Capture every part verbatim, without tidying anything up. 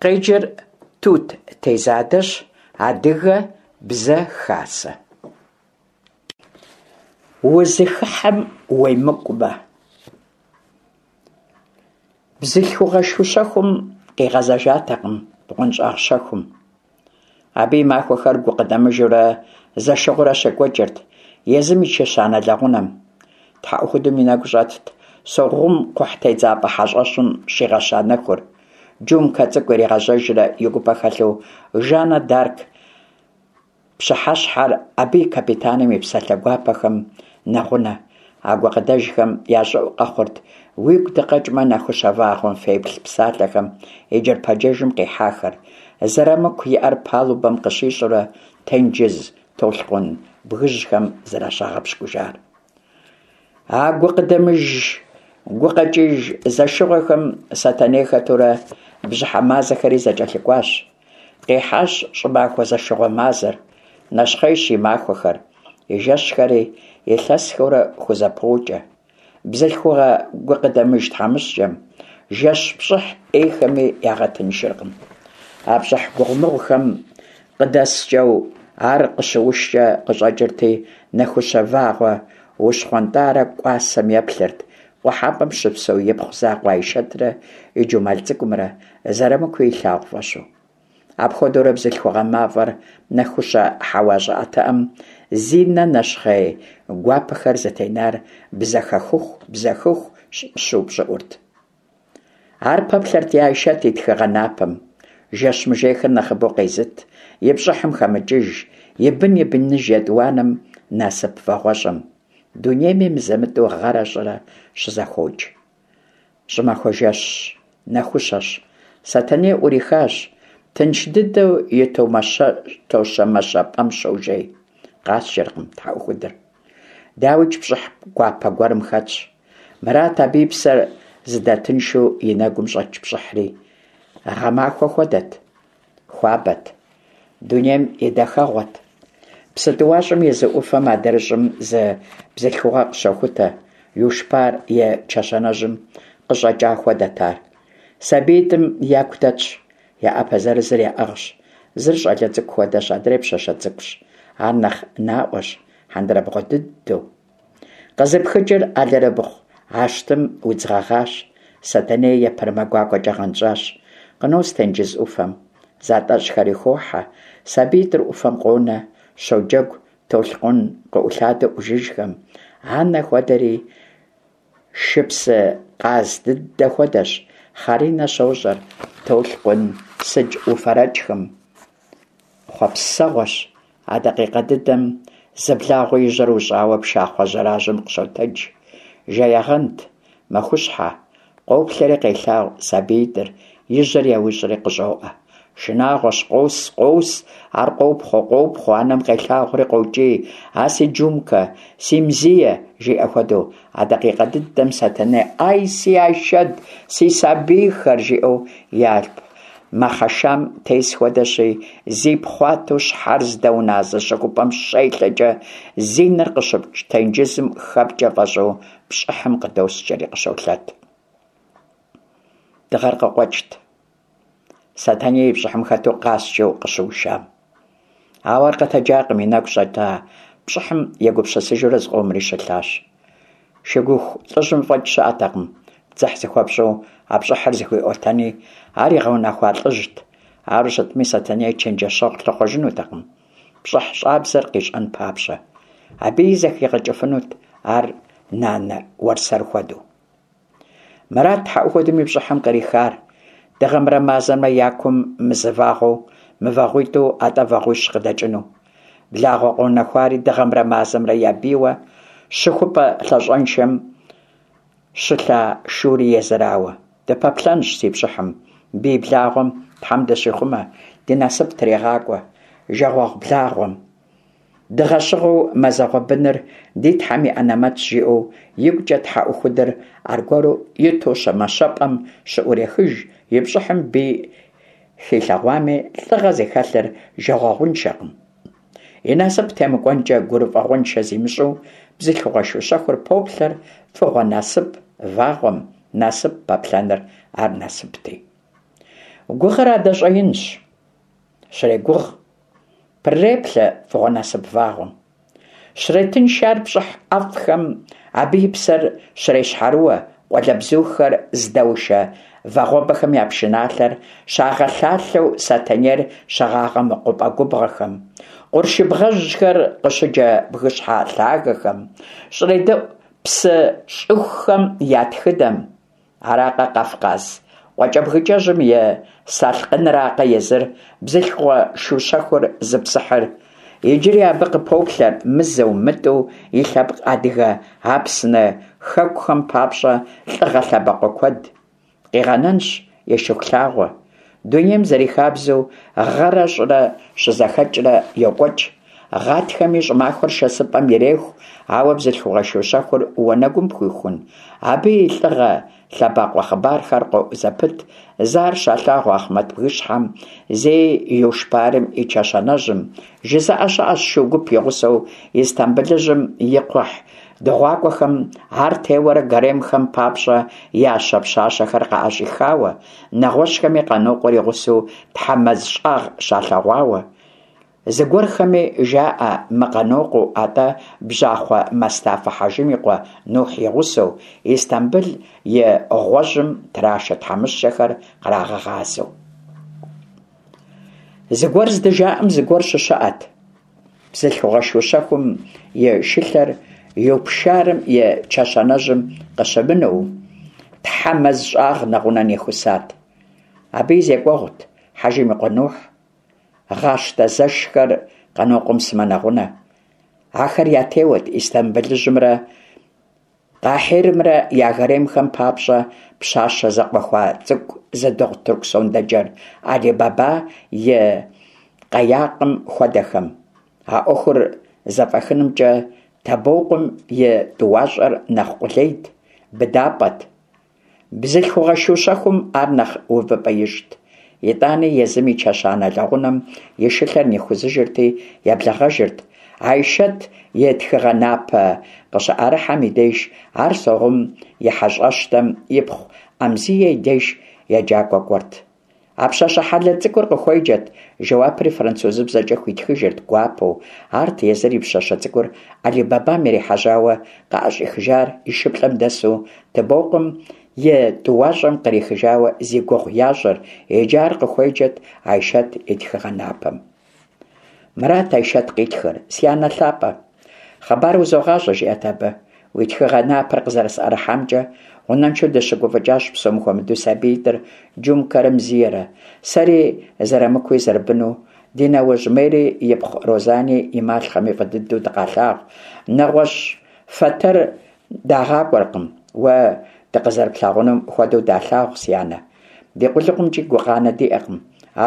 Къеджэр Тут Тезадэщ, Адыгэ Бзэ Хасэ. Узыхыхьэм уемыкӀумэ. Бзылъхугъэ шу щэхум къигъэзэжатэкъым бгъуэнщӀагъ щэхум. Абы и махуэхэр гукъыдэмыжурэ зэшыгъуэрэ щекӀуэкӀырт езым и чэщанэ лэгъунэм. ТхьэӀухудым и нэгу щӀэтт Согъум кхъухьтедзапӀэ хьэщӀэщым щигъэща нэхур, джумкэ цӀыкӀу иригъэжьэжрэ и гупэ хэлъу Жаннэ д'Арк пщыхьэщхьэр, абы и капитаным и псалъэ гуапэхэм нэгъунэ. А гукъыдэжхэм я щӀыӀу къэхъурт «уигу дыкъэкӀмэ, нэхущэ вагъуэм феплъ» псалъэхэм и джэрпэджэжым къихьахэр, Зырамыку и Ӏэр палубэм къыщищӀурэ тенджыз толъкъун бгыжьхэм зэращагъэпщкӀужар. А гукъыдэмыж, гукъэкӀыж зэшыгъуэхэм Сэтэней хэтурэ бжьыхьэ мазэхэри зэкӀэлъыкӀуащ. Къихьащ щӀымахуэ зэшыгъуэ мазэр, нэщхъейщ и махуэхэр, и жэщхэри илъэсхэурэ хузэпокӀэ. Бзылъхугъэ гукъыдэмыж тхьэмыщкӀэм жэщ пщӀыхь Ӏейхэми ягъэтыншыркъым. А пщӀыхь гугъумыгъухэм къыдэскӀэу ар къыщыушкӀэ къыщӀэкӀырти, нэхущэ вагъуэ ущхъуэнтӀарэ кӀуасэм еплъырт, къухьэпӀэм щыпсэу ипхъу закъуэ Айшэтрэ и Джумал цӀыкӀумрэ Зырамыкуи илъагъу фӀэщу. Апхуэдэурэ бзылъхугъэ мафӀэр нэхущэ хьэуа щӀыӀэтыӀэм зи нэ нэщхъей гуапэхэр зытенар бзэхэхыху, бзэхыху щыупщӀыӀурт. Ар пэплъэрт и Айшэт и тхыгъэ напэм, жэщ мыжейхэр нэхъыбэу къезыт, и пщӀыхьым хэмыкӀыж, и бын и быныж етӀуанэм, насып вагъуэщӀэм. Дунейми мызэ-мытӀэу гъэрэ щӀырэ щызэхуокӀ. ЩӀымахуэ жэщ нэхущэщ. Сэтэней Ӏурихащ. Тынш дыдэу и тощэмэщэ пӀэм щожей. КъаскӀэркъым тхьэӀухудыр. ДауикӀ, пщӀыхь гуапэ гуэрым хэтщ. Мырат абы и псэр зыдэтыншу и нэгум щӀэкӀ пщӀыхьри. Гъэмахуэ хуэдэт. Хуабэт. Дунейм и дахэгъуэт. Псы тӀуащӀэм и зы Ӏуфэм адрыщӀым зы бзылъхугъэ къыщохутэ. Юшпар и чэщанэжьым къыщӀэкӀа хуэдэт ар. СабиитӀым яку дэтщ, я Ӏэпэ зырызыр яӀыгъщ. Зыр щӀалэ цӀыкӀу хуэдэщ, адрейр пщащэ цӀыкӀущ. Ар нэхъ наӀуэщ, хьэндырабгъуэ дыдэу. КъызыпхыкӀыр алэрыбгъу ащтым удз гъэгъащ. Сэтэней епэрымэ гуакӀуэкӀэ гъэнщӀащ. Къынос тенджыз Ӏуфэм. ЗатӀэщӀхэри хохьэ. СабиитӀыр Ӏуфэм къонэ, щоджэгу толъкъун къыӀулъадэ Ӏужыжхэм. Анэ хуэдэри шыпсы къаз дыдэ хуэдэщ. Хъаринэ щощӀэр толъкъун сыдж уфэрэкӀхэм. Хъуэпсэгъуэщ. А дакъикъэ дыдэм зы благъуэ и жьэр ущӀауэ пшахъуэ жьэражьэм къыщотэдж. Жеягъэнт, мэхущхьэ. Къоплъэри къелъагъу сабиитӀыр, и жьэр еущӀри къыщӀоӀэ. Шынагъуэщ, къос, къос, ар къопхъуэ, къопхъуэ, анэм къелъагъури къокӀий: «А си Джумкэ, си Мзие!» жиӀэ хуэдэу. А дакъикъэ дыдэм Сэтэней «Ай, си Айшэт, си сабийхэр!» жиӀэу и алъп мэхъэшам тес хуэдэщи, зипхъуатэу щхьэр здэуназэ щыхупӀэм щелъэкӀэ, зи нэр къыщыпкӀ тенджызым хэпкӀэ фӀэщӀу пщӀыхьым къыдоскӀэри къыщолъэт. Дыгъэр къыкъуэкӀт. Сэтэней и пщӀыхьым хэту къаскӀэу къыщыушам. Ауэ ар къэтэджакъым, и нэгу щӀэта пщӀыхьым егупсысыжурэ зыкъомри щылъащ. Шыгуху лӀыжьым фӀэкӀ щыӀэтэкъым дзыхь зыхуэпщӀу а пщӀыхьыр зыхуиӀуэтэни, ар игъэунэхуа лӀыжьт. Ару щытми, Сэтэней чэнджэщэгъу лъыхъуэжынутэкъым, пщӀыхь щӀабзэр къищӀэн папщӀэ. Абыи зэхигъэкӀыфынут ар нанэ уэрсэр хуэдэу. Мырат тхьэӀухудым и пщӀыхьым кърихар. Дыгъэмрэ мазэмрэ я кум мызы вагъуэу, мывагъуитӀу, атӀэ вагъуищ къыдэкӀыну. Благъуэ къэунэхуари дыгъэмрэ мазэмрэ я бийуэ щыхупӀэ лъащӀэншэм щылъа шури езырауэ. Дыпэплъэнщ си пщӀыхьым. Бий благъуэм Тхьэм дыщихъумэ, ди насып трегъакӀуэ. Жагъуэгъу благъуэм. Дыгъэщыгъэу мазэгъуэ быныр ди Тхьэм и анэмэтщ, жиӀэу игукӀэ тхьэӀухудыр аргуэру и тощэмэщэпӀэм щыӀурехыж, и пщӀыхьым бий хилъэгъуами, лӀыгъэ зыхэлъыр жагъуэгъуншэкъым. И насып темыкӀуэнкӀэ гурыфӀыгъуэншэ зимыщӀу, бзылъхугъэ шу щэхур поплъэр фӀыгъуэ насып вагъуэм, насып пэплъэныр ар насыпти. Гугъэр адэ щӀэинщ. Щрегугъ, прыреплъэ фӀыгъуэ насып вагъуэм. Щретынш ар пщӀыхь ӀэфӀхэм, абы и псэр щрещхьэрыуэ къуалэбзухэр здэушэ вагъуэбэхэм я пшыналъэр щагъэлъалъэу сэтэнейр щыгъагъэ мэкъупӀэ губгъуэхэм, къуршыбгъэжьхэр къыщыджэ бгыщхьэ лъагэхэм, щредэӀу псы щӀыхухэм я тхыдэм. Аракъэ Къафкъас къуакӀэбгыкӀэжьым и салъкъыныракъэ езыр бзылъхугъэ шу щэхур зыпсыхьыр. Иджыри абы къыпоплъэр мызэу-мытӀэу и лъэпкъ адыгэ Апсны хэкухэм папщӀэ лӀыгъэ лъэбакъуэ куэд. Къигъэнэнщ и Шыхулъагъуэ. Дунейм зэрихабзэу, гъэрэ щӀырэ щызэхэкӀрэ йокӀуэкӀ. Гъатхэми щӀымахуэр шэсыпӀэм иреху, ауэ бзылъхугъэ шу щэхур уанэгум пхуихун? Абы и лӀыгъэ лъэбакъуэ хъыбархэр къоӀу зэпыт, зэ ар щалъагъу Ахъмэт бгыщхьэм, зэи Юшпарым и чэщанэжьым. ЖызыӀэ щыӀэщ шу гуп и гъусэу Истамбылыжьым и кхъухь дыгъуакӀуэхэм ар теуэрэ гаремхэм папщӀэ ящэ пщащэхэр къаӀэщӀихауэ, нэгъуэщӀхэми Къанокъуэр и гъусэу Тхьэмэз щӀагъ щалъэгъуауэ. Зыгуэрхэми жаӀэ мы-Къанокъуэу, атӀэ бжьахъуэ Мэстафэ Хьэжым и къуэ Нухь и гъусэу, Истамбыл и гъуэжьым трашэ тхьэмыщкӀэхэр кърагъэгъазэу. Зыгуэр здыжаӀэм зыгуэр щыщыӀэт. Бзылъхугъэ шу щэхум и шылъэр Юпшарым и чэщанэжьым къыщымынэу, Тхьэмэз щӀагъ нэгъунэ нихусат. Абы и зекӀуэгъут Хьэжым и къуэ Нухь, Гъащтэ зэшхэр Къанокъуэм сымэ нэгъунэ. Ахэр ятеуэт Истамбылыжьымрэ Къахьирымрэ я гаремхэм папщӀэ пщащэ зэкъуэхуа цӀыкӀу зыдыгъу тырку сондэджэр Али-Баба и къэякъым хуэдэхэм. А Ӏуэхур зэфӀэхынымкӀэ Табокъуэм и тӀуащӀэр нэхъ къулейт, быдапӀэт. Бзылъхугъэ шу щэхум ар нэхъ увыпӀэ ищӀт. ИтӀани езым и чэщанэ лэгъунэм и шылъэр нихузыжырти, еблэгъэжырт. Айшэт и тхыгъэ напэ къыщыӀэрыхьэм и деж ар Согъум и хьэщӀэщдэм ипхъу Ӏэмзие и деж еджакӀуэ кӀуэрт. А пщащэ хьэлэл цӀыкӀур къыхуеджэрт, жэуапри французыбзэкӀэ хуитхыжырт гуапэу. Арт езыр и пщащэ цӀыкӀур Али-Бабам ирихьэжьауэ къыӀэщӀихыжар и шыплӀэм дэсу Тыбокъум и тӀуащӀэм кърихыжауэ зи гугъу ящӀыр, иджы ар къыхуеджэрт Айшэт и тхыгъэ напэм. Мырат Айшэт къитхыр: «Си анэ лъапӀэ, хъыбар узогъащӀэ, – жиӀэрт абы. – Уи тхыгъэ напэр къызэрысӀэрыхьамкӀэ гъунэншэу дыщыгуфӀыкӀащ, псом хуэмыдэу сабиитӀыр, Джумкэрэ Мзиерэ. Сэри Зэрамыкуи зэрыбыну, ди нэуэжь Мери ипхъу Розани и малъхъэми фӀы дыдэу дыкъалъагъу. НэгъуэщӀ фэтэр дагъакӀуэркъым. Уэ дыкъызэрыплъагъунум хуэдэу далъагъу, си анэ. Ди къулыкъумкӀи гукъанэ диӀэкъым.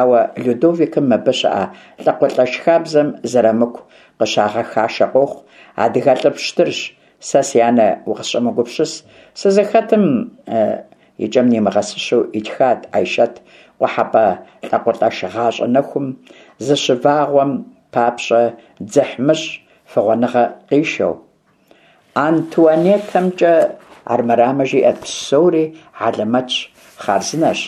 Ауэ Людовикым мыбы щыӀэ лӀакъуэлӀэш хабзэм Зэрамыку къыщагъэхашэ къохъу. АдыгэлӀыр пщтырщ. Сэ, си анэ, укъысщӀэмыгупсыс. Сызыхэтым и кӀэм нимыгъэсыщэу итхат Айшэт къухьэпӀэ лӀакъуэлӀэш гъащӀэ нэхум зыщывагъуэм папщӀэ дзыхьмыщӀ фыгъуэныгъэ къишэу. АнтуанеттэмкӀэ армырамэ, жиӀэрт, псори хьэлэмэтщ, хъарзынэщ.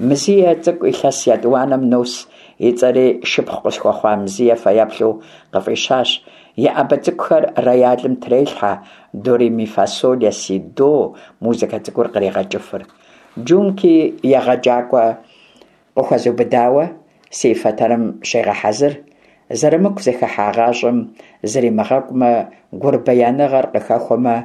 Мзие цӀыкӀу илъэс етӀуанэм нос, и цӀэри шыпхъу къысхуэхъуа Мзие фэеплъу къыфӀищащ. И Ӏэбэ цӀыкӀухэр роялым трелъхьэ, до-ре-ми-фа-соль-ля-си-до музыкэ цӀыкӀур кърегъэкӀыфыр. Джумки егъэджакӀуэ къыхуэзубыдауэ си фэтэрым щегъэхьэзыр. Зэрамыку зыхыхьа гъащӀэм зримыгъэкӀумэ, гурбияныгъэр къыхэхуэмэ,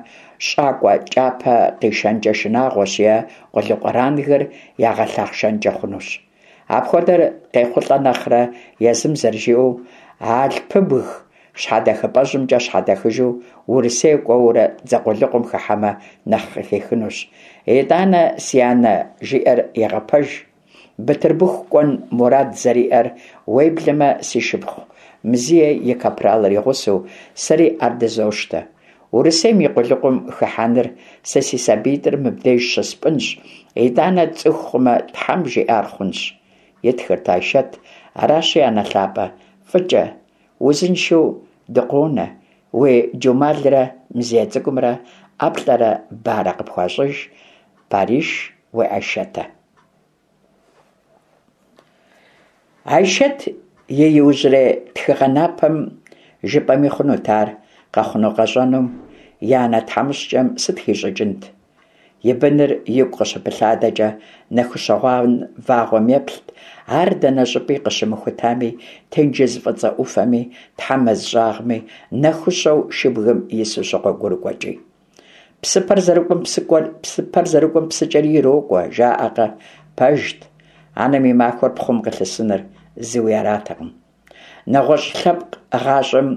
щӀакӀуэ кӀапэ къишэнкӀэ шынагъуэщ е къулыкъу рангыр ягъэлъэхъшэнкӀэ хъунущ. Апхуэдэр къехъулӀэ нэхърэ, езым зэрыжиӀэу, Алъпыбг щхьэдэхыпӀэжьымкӀэ щхьэдэхыжу Урысей кӀуэурэ дзэ къулыкъум хыхьэмэ нэхъ къыхихынущ. ИтӀанэ си анэ жиӀэр егъэпэж. Бытырбыху кӀуэн мурад зэриӀэр, уеблэмэ си шыпхъу Мзие и капралыр и гъусэу, сэри ар дызощтэ. Урысейм и къулыкъум хыхьэныр сэ си сабиитӀыр мыбдеж щыспӀынщ, итӀанэ цӀыху хъумэ, Тхьэм жиӀар хъунщ, итхырт Айшэт. Аращи, анэ лъапӀэ, фӀыкӀэ, узыншэу дыкъонэ, уи Джумалрэ Мзие цӀыкӀумрэ ӀэплӀэрэ барэ къыпхуащӀыж. Париж, уи Айшэтэ. Айшэт и иужьрей тхыгъэ напэм жыпӀэми хъунут ар, къэхъуну-къэщӀэнум и анэ тхьэмыщкӀэм сыт хищӀыкӀынт? И быныр игу къыщыпылъадэкӀэ, нэхущэ вагъуэм еплът, ар дэнэ щӀыпӀи къыщымыхутами, тенджыз фӀыцӀэ Ӏуфэми, Тхьэ мэз щӀагъми, нэхущэу шыбгым ису щыгъуэгурыкӀуэкӀи. Псыпэр зэрыкӀуэм псыпэр зэрыкӀуэм псыкӀэри ирокӀуэ, жаӀэкъэ? Пэжт. Анэм и махуэр пхъум къылъысыныр зыуи аратэкъым. НэгъуэщӀ лъэпкъ гъащӀэм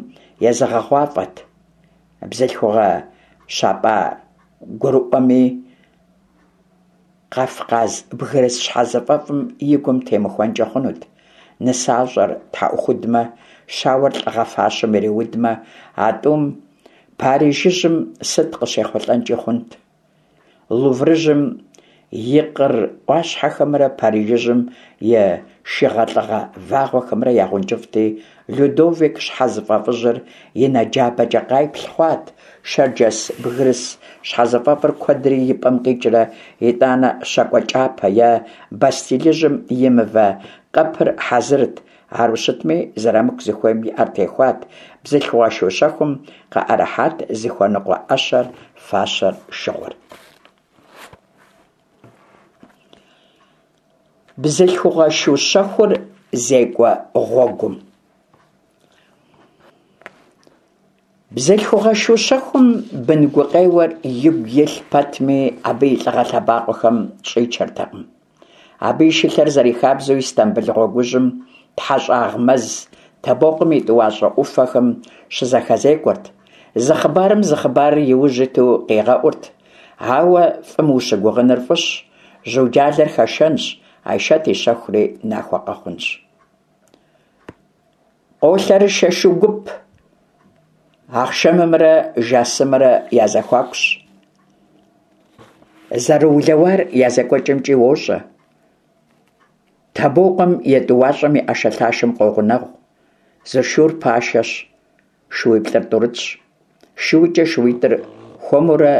езэгъыгъуафӀэт. Бзылъхугъэ щапӀа гурыӀуэми, Къафкъаз бгырыс щхьэзыфӀэфӀым и гум темыхуэнкӀэ хъунут. НысащӀэр тхьэӀухудмэ, щауэр лӀыгъэ фащэм ириудмэ, а тӀум Парижыжьым сыт къыщехъулӀэнкӀи хъунт. Луврыжьым и къыр Ӏуащхьэхэмрэ Парижыжьым и шыгъэлӀыгъэ вагъуэхэмрэ я гъункӀыфӀти, Людовик щхьэзыфӀэфӀыжьыр и нэ джабэкӀэ къайплъ хъуат, шэрджэс бгырыс щхьэзыфӀэфӀыр куэдрэ и пӀэм къикӀрэ, итӀанэ щакӀуэ кӀапэ е Бастилыжьым и мывэ къэпыр хьэзырт. Ару щытми, Зырамыку зыхуейм и Ӏэр техуат, бзылъхугъэ шу щэхум къыӀэрыхьат зыхуэныкъуэ Ӏэщэр, фащэр, шыгъур. Бзылъхугъэ шу щэхур зекӀуэ гъуэгум. Бзылъхугъэ шу щэхум бын гукъеуэр игу илъ пэтми, абы и лӀыгъэ лъэбакъуэхэм щӀичэртэкъым. Абы и шылъэр зэрихабзэу Истамбыл гъуэгужьым, ТхьэщӀагъ мэз, Табокъум и тӀуащӀэ Ӏуфэхэм щызэхэзекӀуэрт. Зы хъыбарым зы хъыбарыр и ужь иту къигъэӀурт. Ауэ фӀым ущыгугъыныр фӀыщ, жьуджалэр хэшэнщ, Айшэт и щэхури нахуэ къэхъунщ. Къолъэрышэ шу гуп. Ахъшэмымрэ Жасымрэ я зэхуакущ. Зэрыулэуар я зекӀуэкӀэмкӀи уощӀэ. Табокъуэм и тӀуащӀэм и Ӏэшэлъашэм къогъунэгъу. Зы шур пашэщ, шууиплӀыр тӀурытщ. ШуукӀэ шууитӀыр хуэмурэ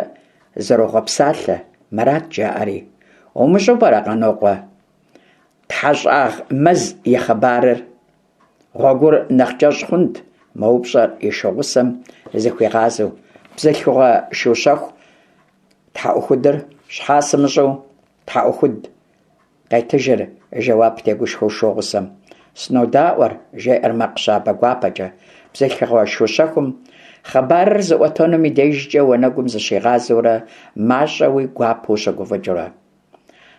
зэрогъэпсалъэ, мырат жаӀэри: «УмыщӀэу пӀэрэ, Къанокъуэ, ТхьэщӀагъ мэз и хъыбарыр? Гъуэгур нэхъ кӀэщӀ хъунт», – мэупщӀэр и шу гъусэм зыхуигъазэу. Бзылъхугъэ шу щэху тхьэӀухудыр: «Щхьэ сымыщӀэу, тхьэӀухуд?» – къетыжыр жэуап тегушхуэу шу гъусэм. «СынодаӀуэр», – жеӀэр макъ щабэ гуапэкӀэ бзылъхугъэ шу щэхум, хъыбарыр зыӀуэтэнум и дежкӀэ уанэгум зыщигъазэурэ, мащӀэуи гуапэу щыгуфӀыкӀыурэ.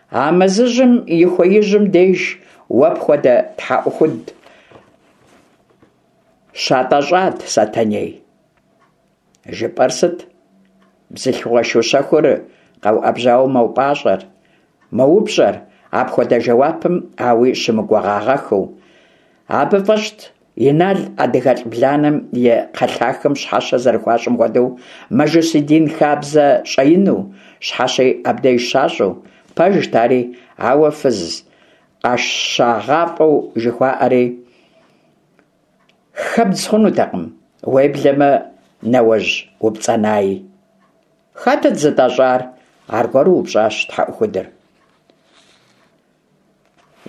«А мэзыжьым и хуеижьым деж уэ пхуэдэ тхьэӀухуд щатӀэщӀат, Сэтэней». «ЖыпӀэр сыт?» Бзылъхугъэ шу щэхур къэуӀэбжьауэ мэупӀащӀэр, мэупщӀэр, апхуэдэ жэуапым ауи щымыгугъагъэххэу. Абы фӀэщт Инал адыгэлӀ бланэм и кхъэлъахэм щхьэщэ зэрыхуащӀым хуэдэу мажусий дин хабзэ щӀэину, щхьэщи абдеж щащӀу. Пэжт ари, ауэ фыз къэшагъафӀэу жыхуаӀэри хэбдз хъунутэкъым, уеблэмэ нэуэжь упцӀэнаи. «Хэтыт зытӀэщӀар?» – аргуэру упщӀащ тхьэӀухудыр.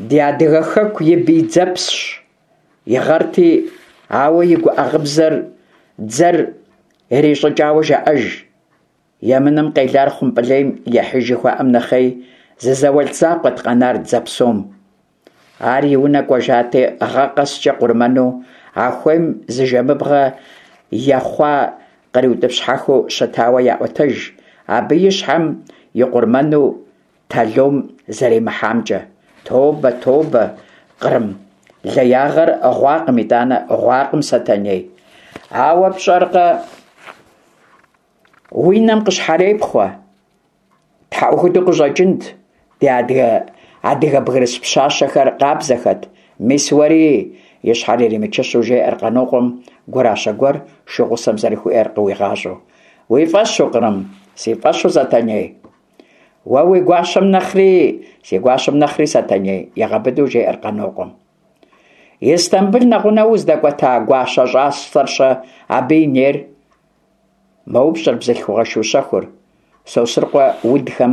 «Ди адыгэ хэку и бий дзэпщщ, и гъэрти, ауэ и гуӀэ гъыбзэр дзэр ирищӀыкӀауэ жаӀэж. Емынэм къелар хъумпӀылейм ехьыж жыхуаӀэм нэхъей, зы зауэлӀ закъуэт къэнар дзэ псом. Ар и унэ кӀуэжати, гъэ къэскӀэ къурмэну а хуейм зы жэмыбгъэ ехъуа къриутӀыпщхьэхыу щытауэ яӀуэтэж, абы и щхьэм и къурмэну талом зэримыхьамкӀэ. Тобэ, тобэ, Кърым, леягъэр гъуакъым итӀанэ, гъуакъым, Сэтэней. Ауэ пщӀэркъэ, уи нэм къыщхьэрепхъуэ. ТхьэӀухуду къыщӀэкӀынт, ди адыгэ адыгэ бгырыс пщащэхэр къабзэхэт. Мис уэри, и щхьэр иримычыщу жеӀэр Къанокъуэм, гуращэ гуэр шу гъусэм зэрыхуиӀэр къыуигъащӀэу. Уи фӀэщу, Кърым? Си фӀэщу, Сэтэней. Уэ уи гуащэм нэхъри, си гуащэм нэхъри, Сэтэней, егъэбыдэу жеӀэр Къанокъуэм. Истамбыл нэгъунэ уздэкӀуэта гуащэ щӀасэр-щэ, абы и нейр? МэупщӀэр бзылъхугъэ шу щэхур, Сосрыкъуэ удхэм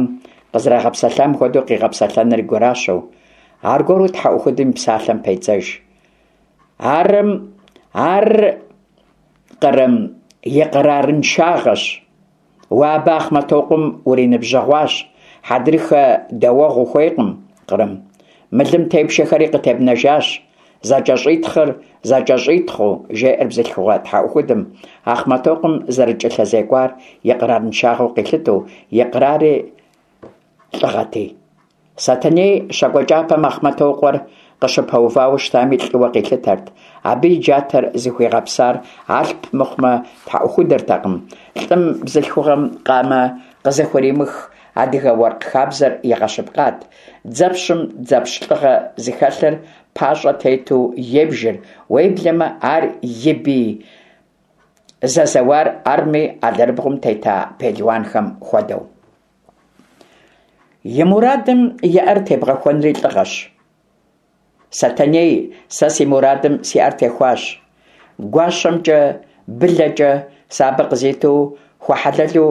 къызэрагъэпсэлъам хуэдэу къигъэпсэлъэныр и гуращэу. Аргуэру тхьэӏухудым и псалъэм педзэж. Арым, ар Кърым икърарыншагъэщ. Уэ абы Ахъмэтокъуэм уриныбжьэгъуащ, хьэдрыхэ дэуэгъу ухуейкъым, Кърым. Мылым тепшэхэри къытебнэжащ, зэкӀэщӀитхъыр зэкӀэщӀитхъыу, жеӀэр бзылъхугъэ тхьэӀухудым, Ахъмэтокъуэм зэрыкӀэлъызекӀуар икърарыншагъэу къилъытэу, икърари лӀыгъэти. Сэтэней щакӀуэ кӀапэм Ахъмэтокъуэр къыщыпэувауэ щытами лӀыуэ къилъытэрт. Абы и джатэр зыхуигъэпсар Алъп мыхъумэ тхьэӀухудыртэкъым. ЛӀым бзылъхугъэм къамэ къызыхуримых адыгэ уэркъ хабзэр игъэщыпкъат. Дзэпщым дзэпщ лӀыгъэ зыхэлъыр пащӀэ тету ебжыр, уеблэмэ ар и бий зэзэуар арми, алэрыбгъум тета пелуанхэм хуэдэу. И мурадым и Ӏэр тебгъэхуэнри лӀыгъэщ. Сэтэней, сэ си мурадым си Ӏэр техуащ. ГуащэмкӀэ, былэкӀэ сэ абы къызиту хуэхьэлэлу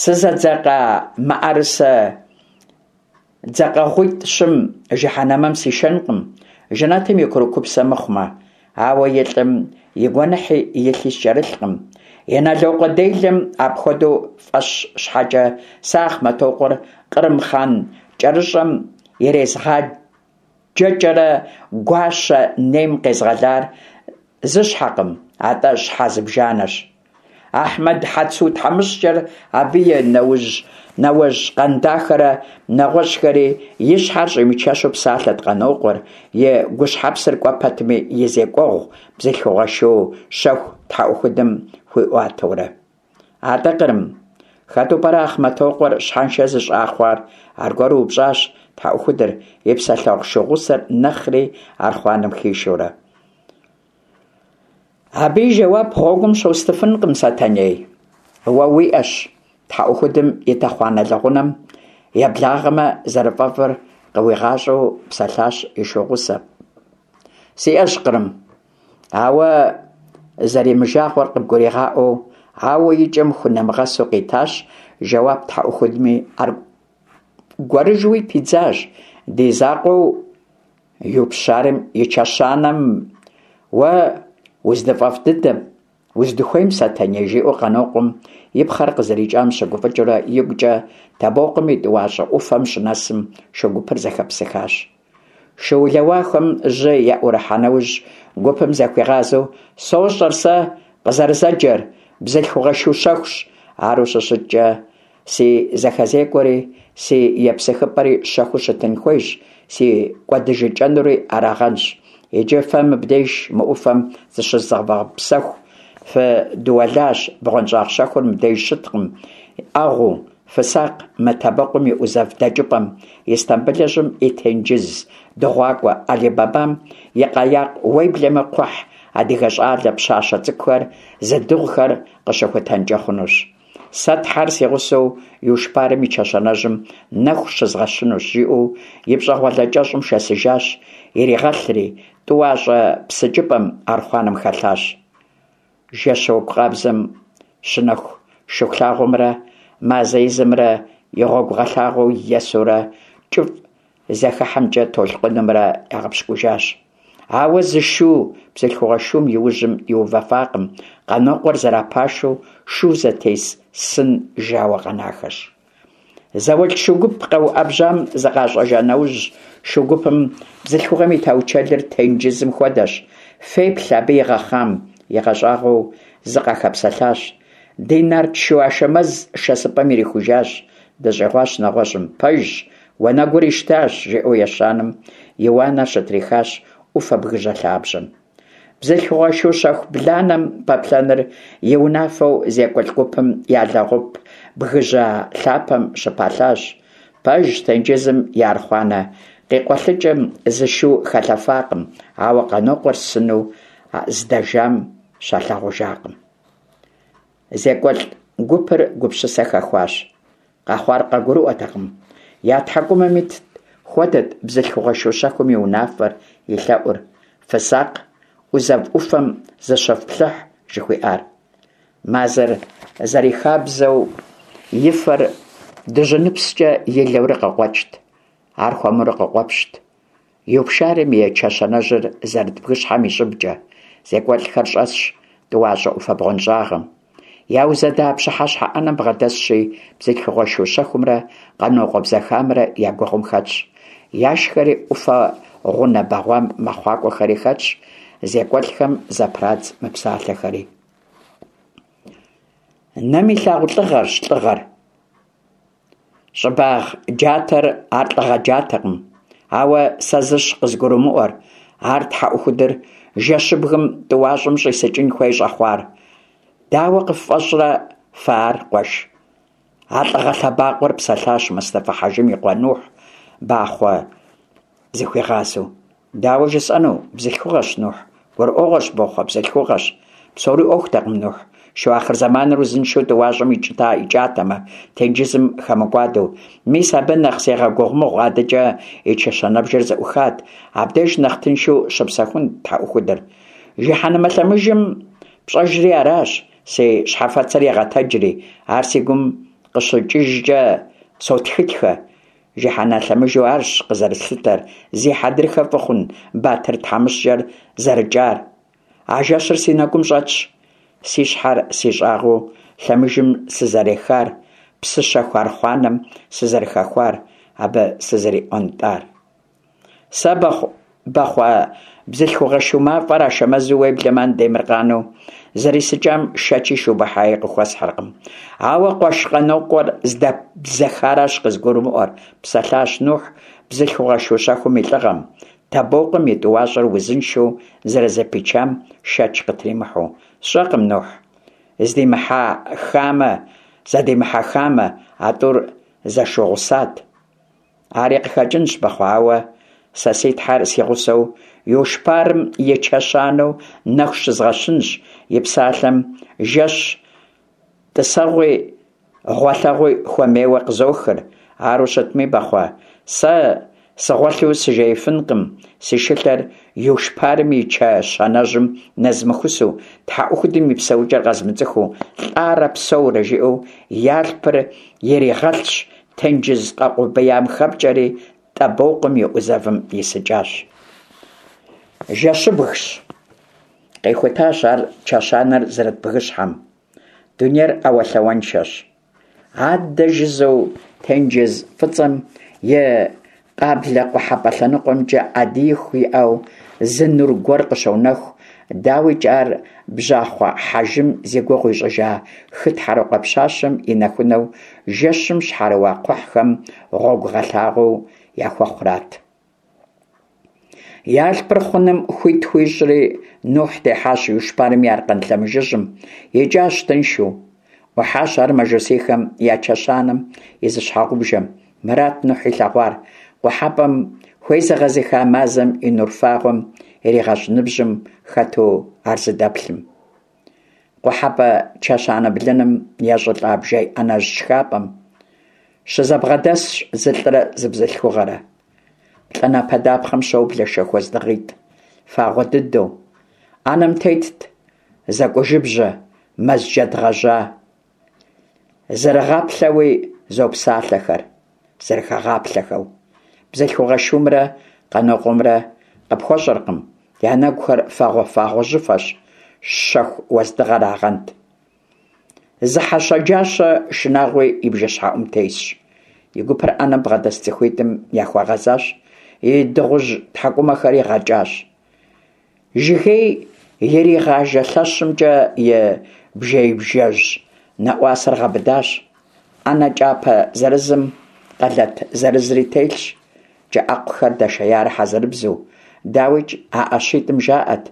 сызэдзэкъа мыӀэрысэ дзэкъэгъуитӀ-щым жыхьэнэмэм сишэнкъым, жэнэтым и курыкупсэ мыхъумэ. Ауэ и лӀым и гуэныхьи и лъи скӀэрылъкъым. Инэлокъуэ делэм апхуэдэу фӀэщ щхьэкӀэ, сэ Ахъмэтокъуэр кърым хъан кӀэрыщӀэм ирезгъаджэкӀэрэ гуащэ нейм къезгъэлар зы щхьэкъым, атӀэ щхьэ зыбжанэщ. Ахьмэд Хьэцу тхьэмыщкӀэр, абы и нэужь нэуэжь Къандахэрэ нэгъуэщӀхэри, и щхьэр щӀимычэщу псалъэт Къанокъуэр, и гущхьэпсыр кӀуэ пэтми и зекӀуэгъу бзылъхугъэ шу щэху тхьэӀухудым хуиӀуатэурэ. АтӀэ, Кърым, хэту пӀэрэ Ахъмэтокъуэр щхьэншэ зыщӀа хъуар? Аргуэру упщӀащ тхьэӀухудыр, и псэлъэгъу шу гъусэр нэхъри архъуанэм хишэурэ. Абы и жэуап гъуэгум щостыфынкъым, Сэтэней. Уэ уиӀэщ. ТхьэӀухудым и тэхъуанэ лэгъунэм еблагъэмэ зэрыфӀэфӀыр къыуигъащӀэу псэлъащ и шу гъусэр. СиӀэщ, Кърым. Ауэ зэримыжагъуэр къыбгуригъаӀуэу, ауэ и кӀэм хунэмыгъэсу къитащ жэуап тхьэӀухудми, аргуэрыжьуи пидзащ: Ди закъуэу Юпщарым и чэщанэм уэ уздыфӀэфӀ дыдэм, уздыхуейм, Сэтэней, жиӀэу Къанокъуэм и пхъэр къызэрикӀам щыгуфӀыкӀыурэ игукӀэ Табокъум и тӀуащӀэ Ӏуфэм щынэсым, шу гупыр зэхэпсыхащ. Шыулэуахэм жьы яӀурыхьа нэужь, гупым захуигъазэу: «СощӀэр сэ къызэрызэджэр, бзылъхугъэ шу щэхущ. Ару щыщыткӀэ, си зэхэзекӀуэри си епсыхыпӀэри щэхуу щытын хуейщ, си кӀуэдыжыкӀэнури арагъэнщ. Иджы фэ мыбдеж мы Ӏуфэм зыщызывгъэпсэху, фыдуэлащ, бгъуэнщӀагъ щэхур мыбдеж щыткъым Ӏэгъуу, фысакъ мы Табэкъум и Ӏузэв дэкӀыпӀэм, Истамбылыжьым и тенджыз дыгъуакӀуэ, Али-Бабам и къэякъ, уеблэмэ кхъухь адыгэ щӀалэ, пщащэ цӀыкӀухэр зыдыгъухэр къыщыхутэнкӀэ хъунущ. Сэ Тхьэр си гъусэу Юшпарым и чэщанэжьым нэху щызгъэщынущ», жиӀэу и пщӀэгъуалэ кӀэщӀым шэсыжащ, иригъэлъри, тӀуащӀэ псыкӀыпӀэм архъуанэм хэлъащ. Жэщ уэгу къабзэм щынэху Шыхулъагъуэмрэ мазэ изымрэ и гъуэгугъэлъагъуэу есурэ кӀыфӀ зэхыхьэмкӀэ толъкъунымрэ ягъэпщкӀужащ. Ауэ зы шу бзылъхугъэ шум и ужьым иувэфакъым, Къанокъуэр зэрапашэу шу зэтес сын жауэ къэнахэщ. ЗауэлӀ шу гуп къэуӀэбжьам зыкъащӀэжа нэужь, шу гупым бзылъхугъэм и таучэлыр тенджызым хуэдэщ, феплъ абы игъэхъам, игъэщӀагъуэу зы къахэпсэлъащ. Ди нарт шу Ашэмэз шэсыпӀэм ирихужащ, дыщӀигъуащ нэгъуэщӀым. Пэжщ, уанэгур ищтащ, жиӀэу ещанэм и уанэр щытрихащ Ӏуфэ бгыжьэ лъабжьэм. Бзылъхугъэ шу щэху бланэм пэплъэныр и унафэу зекӀуэлӀ гупым я лэгъуп бгыжьэ лъапэм щыпалъащ. Пэжщ, тенджызым и архъуанэ къикъуэлъыкӀым зы шу хэлъэфакъым, ауэ Къанокъуэр сыну здэжам щалъагъужакъым. ЗекӀуэлӀ гупыр гупсысэ хэхуащ. Къэхъуар къагурыӀуэтэкъым. Я тхьэкӀумэм итт хуэдэт бзылъхугъэ шу щэхум и унафэр, и лъэӀур: «Фысакъ, Ӏузэв Ӏуфэм зыщыфплъыхь», жыхуиӀар. Мазэр зэрихабзэу и фэр дыжьыныпскӀэ илэурэ къыкъуэкӀт. Ар хуэмурэ къыкъуэпщт. Юпшарым и чэщанэжьыр зэрыт бгыщхьэм и щӀыбкӀэ, зекӀуэлӀхэр щӀэсщ тӀуащӀэ Ӏуфэ бгъуэнщӀагъым. Яузэда пщыхьэщхьэ Ӏэнэм бгъэдэсщи, бзылъхугъэ шу щэхумрэ Къанокъуэ бзэхамрэ я гугъум хэтщ. Яшхэри Ӏуфэ гъунэ бэгъуам мэхъуакӀуэхэри хэтщ зекӀуэлӀхэм зэпрадз мы псалъэхэри. Нэм илъагъу лӀыгъэрщ лӀыгъэр. ЩӀыбагъ джатэр ар лӀыгъэ джатэкъым. Ауэ сэ зыщ къызгурымыӀуэр, ар тхьэӀухудыр жэщыбгым тӀуащӀэм щӀисыкӀын хуей щӀэхъуар. Дауэ къыффӀэщӀрэ фэ ар, къуэш? А лӀыгъэ лъэбакъуэр, псэлъащ Мустэфа-хьэжым и къуэ Нухь, Бахъуэ зыхуигъазэу. Дауэ жысӀэну? Бзылъхугъэщ, Нухь. ГурыӀуэгъуэщ, Бохъуэ, бзылъхугъэщ. Псори Ӏуэхутэкъым, Нухь. Шу ахъырзэманыр узыншэу тӀуащӀэм икӀатэмэ, тенджызым хэмыкӀуадэу. Мис абы нэхъ сегъэгугъу мыгъуэ, адэкӀэ и чэщанэбжэр зэӀухат. Абдеж нэхъ тыншу щыпсэхунт тхьэӀухудыр. Жыхьэнмэ лъэмыжым пщӀэжри аращ, си щхьэфэцыр егъэтэджри, ар си гум къыщыкӀыжкӀэ сотхытхэ. Жыхьэнмэ лъэмыжу арщ къызэрыслъытэр, зи хьэдрыхэ фӀы хъун Батыр тхьэмыщкӀэр зэрыкӀар. А жэщыр си нэгум щӀэтщ, си щхьэр си щӀагъыу лъэмыжым сызэрехар, псы щэху архъуанэм сызэрыхэхуар, абы сызэриӀуэнтӀар. Сэ Бахъуэ бзылъхугъэ шу мафӀэр Ашэмэзу, уеблэмэ Андемыркъану зэрисыкӀам шэчи шубыхьаи къыхуэсхьыркъым. Ауэ къуэш Къанокъуэр здэбзэхаращ къызгурымыӀуэр, псэлъащ Нухь бзылъхугъэ шу щэхум и лӀыгъэм, Табокъум и тӀуащӀэр узыншэу зэрызэпичам шэч къытримыхьэу. СщӀэкъым, Нухь, здимыхьэхамэ, зэдимыхьэхамэ, а тӀур зэшугъусат. Ари къыхэкӀынщ, Бахъуэ, ауэ сэ си тхьэр си гъусэу Юшпарым и чэщанэу нэху щызгъэщынщ, и псалъэм жэщ тӀысэгъуи гъуэлъэгъуи хуэмейуэ къызохыр. Ару щытми, Бахъуэ, сэ сыгъуэлъу сыжеифынкъым, си шылъэр Юшпарым и чэщанэжьым нэзмыхусу, тхьэӀухудым и псэукӀэр къэзмыцӀыхуу, лӀарэ псэурэ жиӀэу и алъпыр иригъэлъщ, тенджыз къэукъубеям хэпкӀэри ТӀабокъум и Ӏузэвым исыкӀащ. Жэщыбгщ. Къехутащ ар чэщанэр зэрыт бгыщхьэм. Дунейр Ӏэуэлъауэншэщ. Адэ жыжьэу тенджыз ФӀыцӀэм и къаблэ-къухьэпӀэ лъэныкъуэмкӀэ Ӏэдииху иӀэу зы нур гуэр къыщонэху. ДауикӀ, ар бжьахъуэ хьэжым зи гугъу ищӀыжа хы тхьэрыкъуэ пщащэм и нэхунэу жэщым щхьэрыуа кхъухьхэм гъуэгугъэлъагъуэу яхуэхъурат. И алъпыр хъуным хуит хуищӀри, Нухь техьащ Юшпарым и аркъэн лъэмыжыжьым, икӀащ тыншу. Ӏухьащ ар мажусийхэм я чэщанэм и зы щхьэгъубжэм. Мырат Нухь илъэгъуар: къухьэпӀэм хуезыгъэзыха мазэм и нур фагъуэм иригъэщӀ ныбжьым хэту ар зыдэплъым. КъухьэпӀэ чэщанэ блыным ещӀылӀа бжей Ӏэнэжь шхапӀэм щызэбгъэдэсщ зы лӀырэ зы бзылъхугъэрэ. ПлӀанэпэ дапхъэм щоблэ шэху уэздыгъитӀ, фагъуэ дыдэу. Ӏэнэм тетт зэкӀужыбжьэ, мэз джэд гъэжьа. Зэрыгъаплъэуи зопсалъэхэр, зэрыхэгъаплъэхэу. Бзылъхугъэ шумрэ Къанокъуэмрэ къыпхуэщӀэркъым, я нэгухэр фагъуэ-фагъуэжьыфэщ, шэху уэздыгъэрагъэнт. Зы хьэ щэджащэ шынагъуи и бжэщхьэӀум тесщ. И гупэр Ӏэнэм бгъэдэс цӀыхуитӀым яхуэгъэзащ, и дыгъужь тхьэкӀумэхэри гъэкӀащ. Жыгей иригъажэ лъэщымкӀэ и бжеибжэжь нэӀуасэр гъэбыдащ. Ӏэнэ кӀапэ зырызым къэлэт зырызри телъщ, кӀэӀэкъухэр дэшеярэ хьэзырыбзэу. ДауикӀ, а ӀэщитӀым жаӀэт: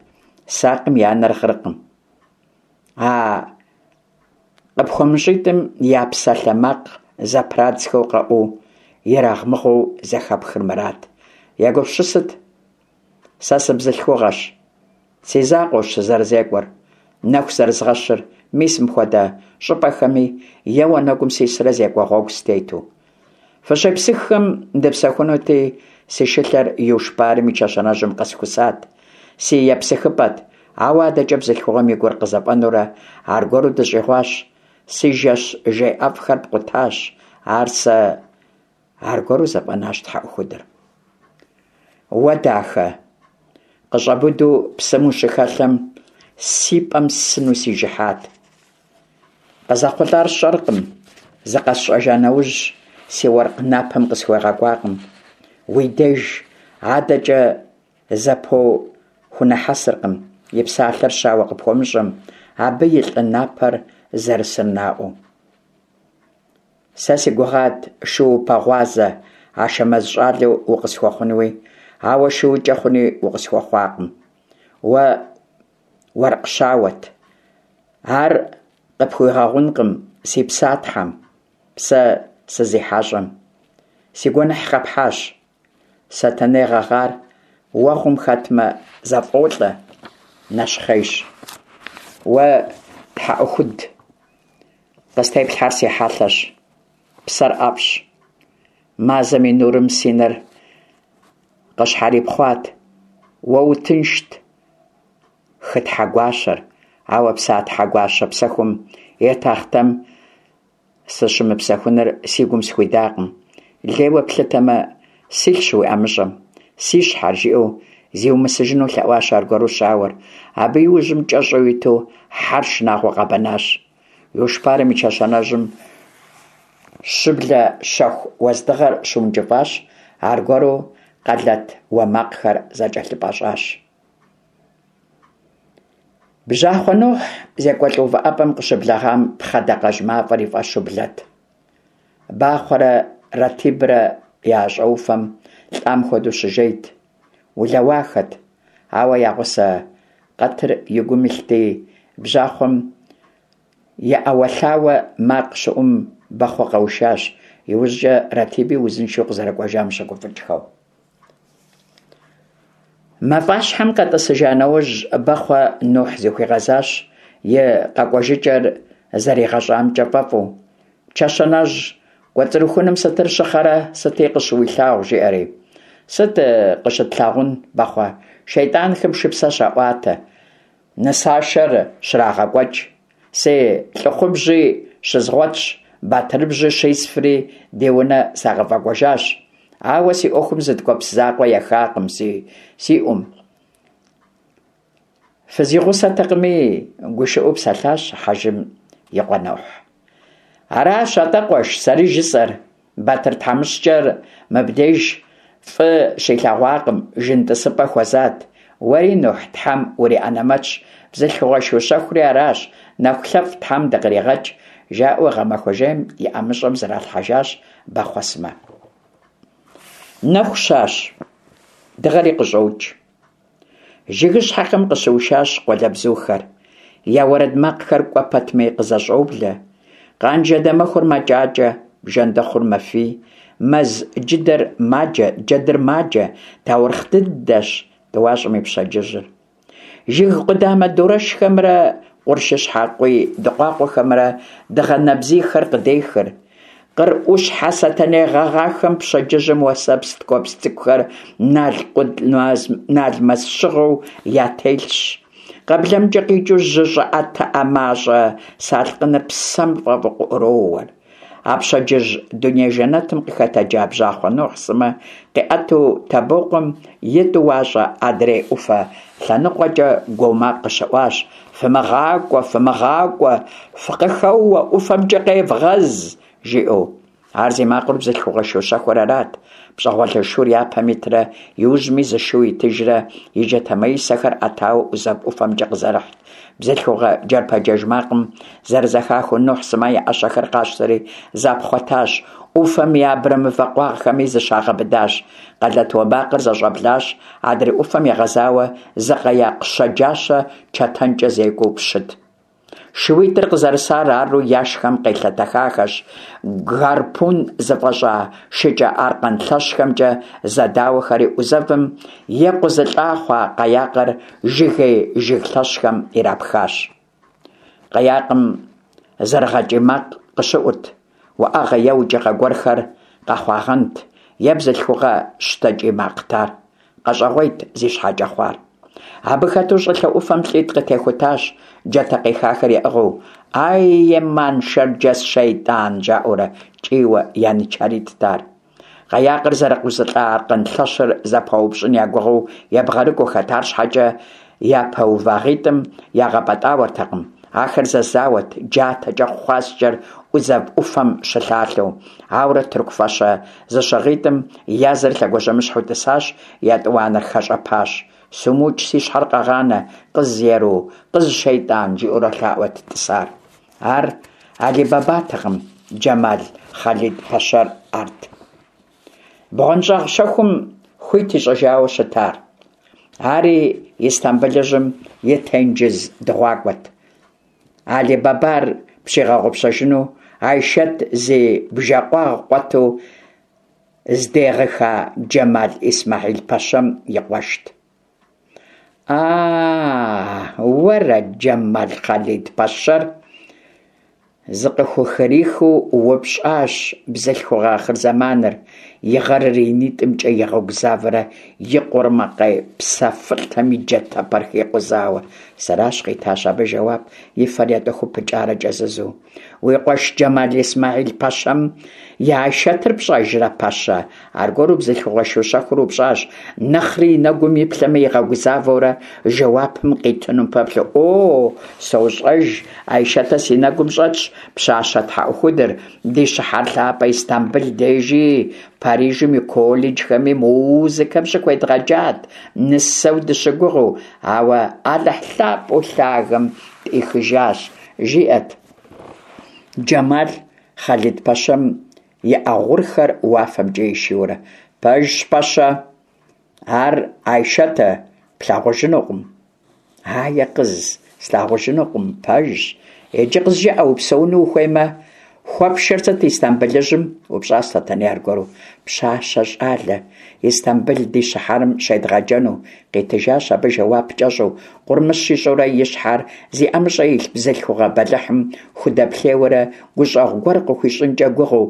«Сакъым и анэр гъыркъым». А къыпхуэмыщӀитӀым я псалъэмакъ зэпрадзхэу къэӀуу, ерагъмыгъуэу зэхэпхыр мырат: «Егупсысыт, сэ сыбзылъхугъэщ, си закъуэущ сызэрызекӀуэр, нэху зэрызгъэщыр, мис мыпхуэдэ щӀыпӀэхэми е уанэгум сисрэ зекӀуэ гъуэгу сытету. Фыщепсыххэм дыпсэхунути, си шылъэр Юшпарым и чэщанэжьым къэсхусат, си епсыхыпӀэт, ауэ адэкӀэ бзылъхугъэм и гур къызэфӀэнэурэ аргуэру дыщӀигъуащ, си жэщ жей ӀэфӀхэр пкъутащ, ар сэ...» Аргуэру зэфӀэнащ тхьэӀухудыр. Уэ, дахэ, къыщӏэбуду псым ущыхэлъэм, си пӏэм сыну сижыхьат. Къызэхъулӏар сщӏэркъым, зыкъэсщӏэжа нэужь, си уэркъ напэм къысхуегъэкӏуакъым. Уи деж адэкӏэ зэпоу хунэхьэсыркъым и псалъэр щауэ къыпхуэмыщӏэм, абы и лӏы напэр зэрысыр наӏуэу. Сэ си гугъат шуупэгъуазэ Ашэмэз щӏалэу укъысхуэхъунуи, ауэ шуукӏэ хъуни укъысхуэхъуакъым. Уэ уэркъ щауэт. Ар къыпхуигъэгъункъым си Псатхьэм, сэ сызихьэщӏэм. Си гуэныхь къэпхьащ. Сэтэней гъэгъар уэгъум хэтмэ, зэфӏолӏэ, нэщхъейщ. Уэ, тхьэӏухуд, къыстеплъхьэр си хьэлъэщ, псэр ӏэфӏщ. Мазэм и нурым си нэр къыщхьэрипхъуат. Уэ утыншт, хы тхьэгуащэр, ауэ Псатхьэ гуащэ псэхум и тахътэм сыщымыпсэхуныр си гум схуидакъым. Лейуэ плъытэмэ, силъщ уи ӏэмыщӏэм, си щхьэр, жиӏэу зиумысыжыну лъэӏуащ аргуэру щауэр. Абы и ужьым кӏэщӏу иту хьэр шынагъуэ къэбэнащ. Лушпарым и чэщанэжьым щыблэ щэху уэздыгъэр щыункӏыфӏащ, аргуэру къэлэт уэ макъхэр зэкӏэлъыпӏэщӏащ. Бжьахъуэ Нухь зекӏуэлӏ увыӏэпӏэм къыщыблэгъам пхъэ дакъэжь мафӏэр и фӏэщу блэт. Бахъуэрэ Ратибрэ я щӏэуфэм лӏам хуэдэу щыжейт, улэуахэт, ауэ я гъусэ къэтыр и гум илъти, бжьахъуэм и ӏэуэлъауэ макъ щыӏум Бахъуэ къэушащ, иужькӏэ Ратиби узыншэу къызэрыкӏуэжам щыгуфӏыкӏхэу. Мафӏащхьэм къэтӏысыжа нэужь, Бахъуэ Нухь зыхуигъэзащ и къэкӏуэжыкӏэр зэригъэщӏамкӏэ фӏэфӏу. Чэщанэжь кӏуэцӏрыхуным сытыр щыхъэрэ, сыти къыщыуилъагъу, жиӏэри. Сыт къыщытлъагъун, Бахъуэ, шейтӏанхэм шыпсэ щаӏуатэ, нысашэр щрагъэкӏуэкӏ. Си лӏыхъубжьи щызгъуэтщ, батырыбжьи щисфри ди унэ сагъэфӏэкӏуэжащ. Ауэ си ӏуэхум зы ткӏуэпс закъуэ ехакъым си, си ӏум. Фызигъусэтэкъыми, гушыӏэу псэлъащ хьэжым и къуэ Нухь. Аращ атӏэ, къуэш, сэри жысӏэр. Батыр тхьэмыщкӏэр мыбдеж фӏы щилъэгъуакъым, жын тӏысыпӏэ хуэзат. Уэри, Нухь, тхьэм уриӏэнэмэтщ, бзылъхугъэ шу щэхури аращ, нэху лъэфӏ тхьэм дыкъригъэкӏ, жаӏэу гъэмахуэ жейм и ӏэмыщӏэм зралъхьэжащ Бахъуэ сымэ. Нэху щащ, дыгъэри къыщӏокӏ. Жыгыщхьэхэм къыщыушащ къуалэбзухэр. Я уэрэд макъхэр кӏуэ пэтми къызэщӏоблэ. Къанжэ дамэхур мэкӏакӏэ, бжэндэхъур мэфий, мэз джыдэр маджэ, джэдыр маджэ, таурыхъ дыдэщ тӏуащӏэм и пщэдджыжьыр. Жыг къудамэ дурэшхэмрэ къуршыщхьэ къуий дыкъуакъуэхэмрэ дыгъэ нэбзийхэр къыдехыр. Къыр ӏущхьэ сэтэней гъэгъахэм пщэдджыжьым уэсэпс ткӏуэпс цӏыкӏухэр налмэс щыгъэу ятелъщ. Къэблэмкӏэ къикӏыу жьы щӏыӏэтыӏэ мащӏэ салъкъыныр псэм фӏэфӏу къыӏуроуэр. А пщэдджыжь дуней жэнэтым къыхэтэджа бжьахъуэ Нухь сымэ къиӏэту Табокъуэм и тӏуащӏэ адрей ӏуфэ лъэныкъуэкӏэ гуо макъ къыщыӏуащ: «Фымыгъакӏуэ, фымыгъакӏуэ, фыкъыхэуэ, ӏуфэмкӏэ къевгъэз!» жиӏэу. Ар зи макъыр бзылъхугъэ шу щэхур арат. Пщӏэгъуэлэ шур япэм итрэ иужьми зы шу итыжрэ и джатэмаисэхэр ӏэтауэ ӏузэв ӏуфэмкӏэ къызэрыхьт. Бзылъхугъэ джэрпэджэж макъым зэрызэхахыу Нухь сымэ я ӏэщэхэр къащтэри запхъуэтащ, ӏуфэм и абрэмывэ къуагъхэми зыщагъэбыдащ. Къэлэт уэ макъыр зэщӏэблащ, адрей ӏуфэм егъэзауэ зы къаякъ щэджащэ чэтэнкӏэ зекӏуэу пщыт. Шууитӏыр къызэрысар ару яшхэм къелъэтэхахэщ, гарпун зыфӏэщӏа шыкӏэ аркъэн лъэщхэмкӏэ зэдауэхэри ӏузэвым екъузылӏа хъуа къаякъыр жыгей жыг лъэщхэм ирапхащ. Къаякъым зэрыгъэкӏий макъ къыщыӏурт, уӏэгъэ е укӏыгъэ гуэрхэр къэхъуагъэнт, е бзылъхугъэ щтэкӏий макът ар. Къэщӏэгъуейт зи щхьэкӏэ хъуар. Абы хэту щӏылъэ ӏуфэм лӏитӏ къытехутащ, джатэ къихахэр яӏыгъыу. «Ай, еман, шэрджэс шейтӏан!» жаӏэурэ кӏийуэ янычаритӏт ар. Къаякъыр зэрыкъузылӀа аркъэн лъэщыр зэпаупщӀын я гугъэу ебгъэрыкӀуэхэт, арщхьэкӀэ япэувагъитӀым ягъэпӀэтӀауэртэкъым. Ахэр зэзауэт, джатэкӀэ хъуаскӀэр Ӏузэв Ӏуфэм щылъалъэу. Ауэрэ тырку фащэ зыщыгъитӀым я зыр лъэгуажьэмыщхьэу тӀысащ, етӀуанэр хэщӀэпащ. «СумыукӀ, си щхьэр къэгъанэ, къыз еру, къыз шейтӀан!» жиӀэурэ лъаӀуэт тӀысар. Ар Али-Бабатэкъым, Джэмал Хъалид-пэщэр арт. БгъуэнщӀагъ щэхум хуит ищӀыжауэ щытар. Ари Истамбылыжьым и тенджыз дыгъуакӀуэт. Али-Бабар пщигъэгъупщэжыну Айшэт зи бжэкъуагъ къуэту здегъыха Джэмал Исмэхьил-пэщэм и къуэшт. А-а, уэра Джэмал Хъалид-пэщэр? Зыкъыхухрихыу упщӀащ бзылъхугъэ ахъырзэманыр, и гъэрыр и нитӀымкӀэ игъэгузавэрэ и къурмакъей псэфылӀэми джатэпэр хикъузауэ. Сэращ, къитащ абы жэуап, и фэр етӀэхуу пыкӀарэ кӀэзызу. Уи къуэш Джэмал Исмэхьил-пэщэм и Айшэтыр пщӀэжрэ, пэщэ? Аргуэру бзылъхугъэ шу щэхур упщӀащ, нэхъри и нэгум иплъэмэ игъэгузавэурэ жэуапым къитынум пэплъэу. О, сощӀэж, Айшэтэ си нэгум щӀэтщ, пщащэ тхьэӀухудыр, ди щыхьэр лъапӀэ Истамбыл дежи, Парижым и колледжхэми музыкэм щыхуедгъэджат, нысэу дыщыгугъыу, ауэ Алыхь лъапӀэу лъагэм тӀихыжащ, жиӀэт Джэмал Хъалид-пэщэм и Ӏэ гъурхэр уафэмкӀэ ишийурэ. Пэжщ, пэщэ, ар Айшэтэ плъагъужынукъым. Ае, къыз, слъагъужынукъым, пэжщ. Иджы къызжыӀэ, упсэуну ухуеймэ, хуэпшэр сыт Истамбылыжьым? упщӀащ Сэтэней аргуэру. Пщащэ щӀалэ, Истамбыл ди щыхьэрым щедгъэджэну, къитыжащ абы жэуап кӀэщӀу, къурмыщ ищӀурэ и щхьэр зи ӀэмыщӀэ илъ бзылъхугъэ бэлыхьым худэплъейуэрэ гущӀэгъу гуэр къыхуищӀынкӀэ гугъэу,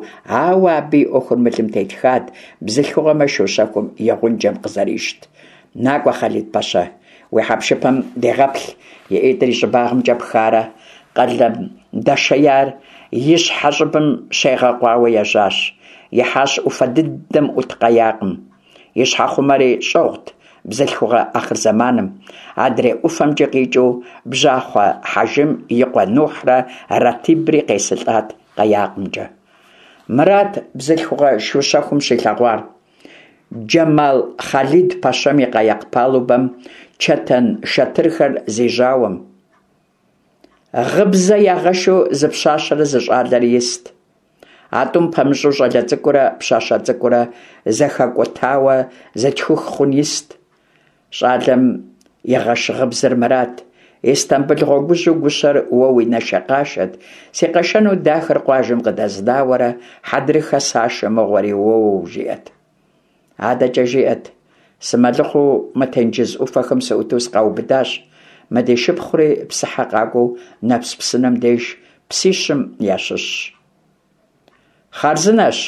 ауэ абы и Ӏуэхур мылым тетхат, бзылъхугъэмэ шу щэхум и гъунджэм къызэрищт. НакӀуэ, Хъалид-пэщэ, уи хьэпшыпым дегъэплъ, и ӀитӀыр и щӀыбагъымкӀэ пхарэ къалэм дэшеяр и щхьэ щӀыбым щегъэкъуауэ ежьащ. Ихьащ Ӏуфэ дыдэм Ӏут къаякъым. И щхьэхъумэри щӀыгъут бзылъхугъэ ахъырзэманым. Адрей ӀуфэмкӀэ къикӀыу бжьахъуэ Хьэжым и къуэ Нухьрэ Ратибри къесылӀат къаякъымкӀэ. Мырат бзылъхугъэ шу щэхум щилъэгъуар. Джэмал Хъалид-пэщэм и къаякъ палубэм чэтэн шэтырхэр зи жьауэм гъыбзэ ягъэшу зы пщащэрэ зы щӀалэрэ ист. А тӀум пэмыщӀу щӀалэ цӀыкӀурэ пщащэ цӀыкӀурэ зэхэкӀутауэ зытхух хъун ист. ЩӀалэм игъэш гъыбзэр мырат: Истамбыл гъуэгужьу гущэр уэ уи нашэкъашэт, си къэшэну дахэр къуажэм къыдэзнауэрэ хьэдрыхэ сашэ мыгъуэри, уоу, жиӀэт. АдэкӀэ жиӀэт: сымэлыхъуэу мы тенджыз Ӏуфэхэм сыӀуту сыкъаубыдащ, мы ди шыпхъури псыхьэ къакӀуэу Нэпс псынэм деж псищым ящыщщ. Хъарзынэщ,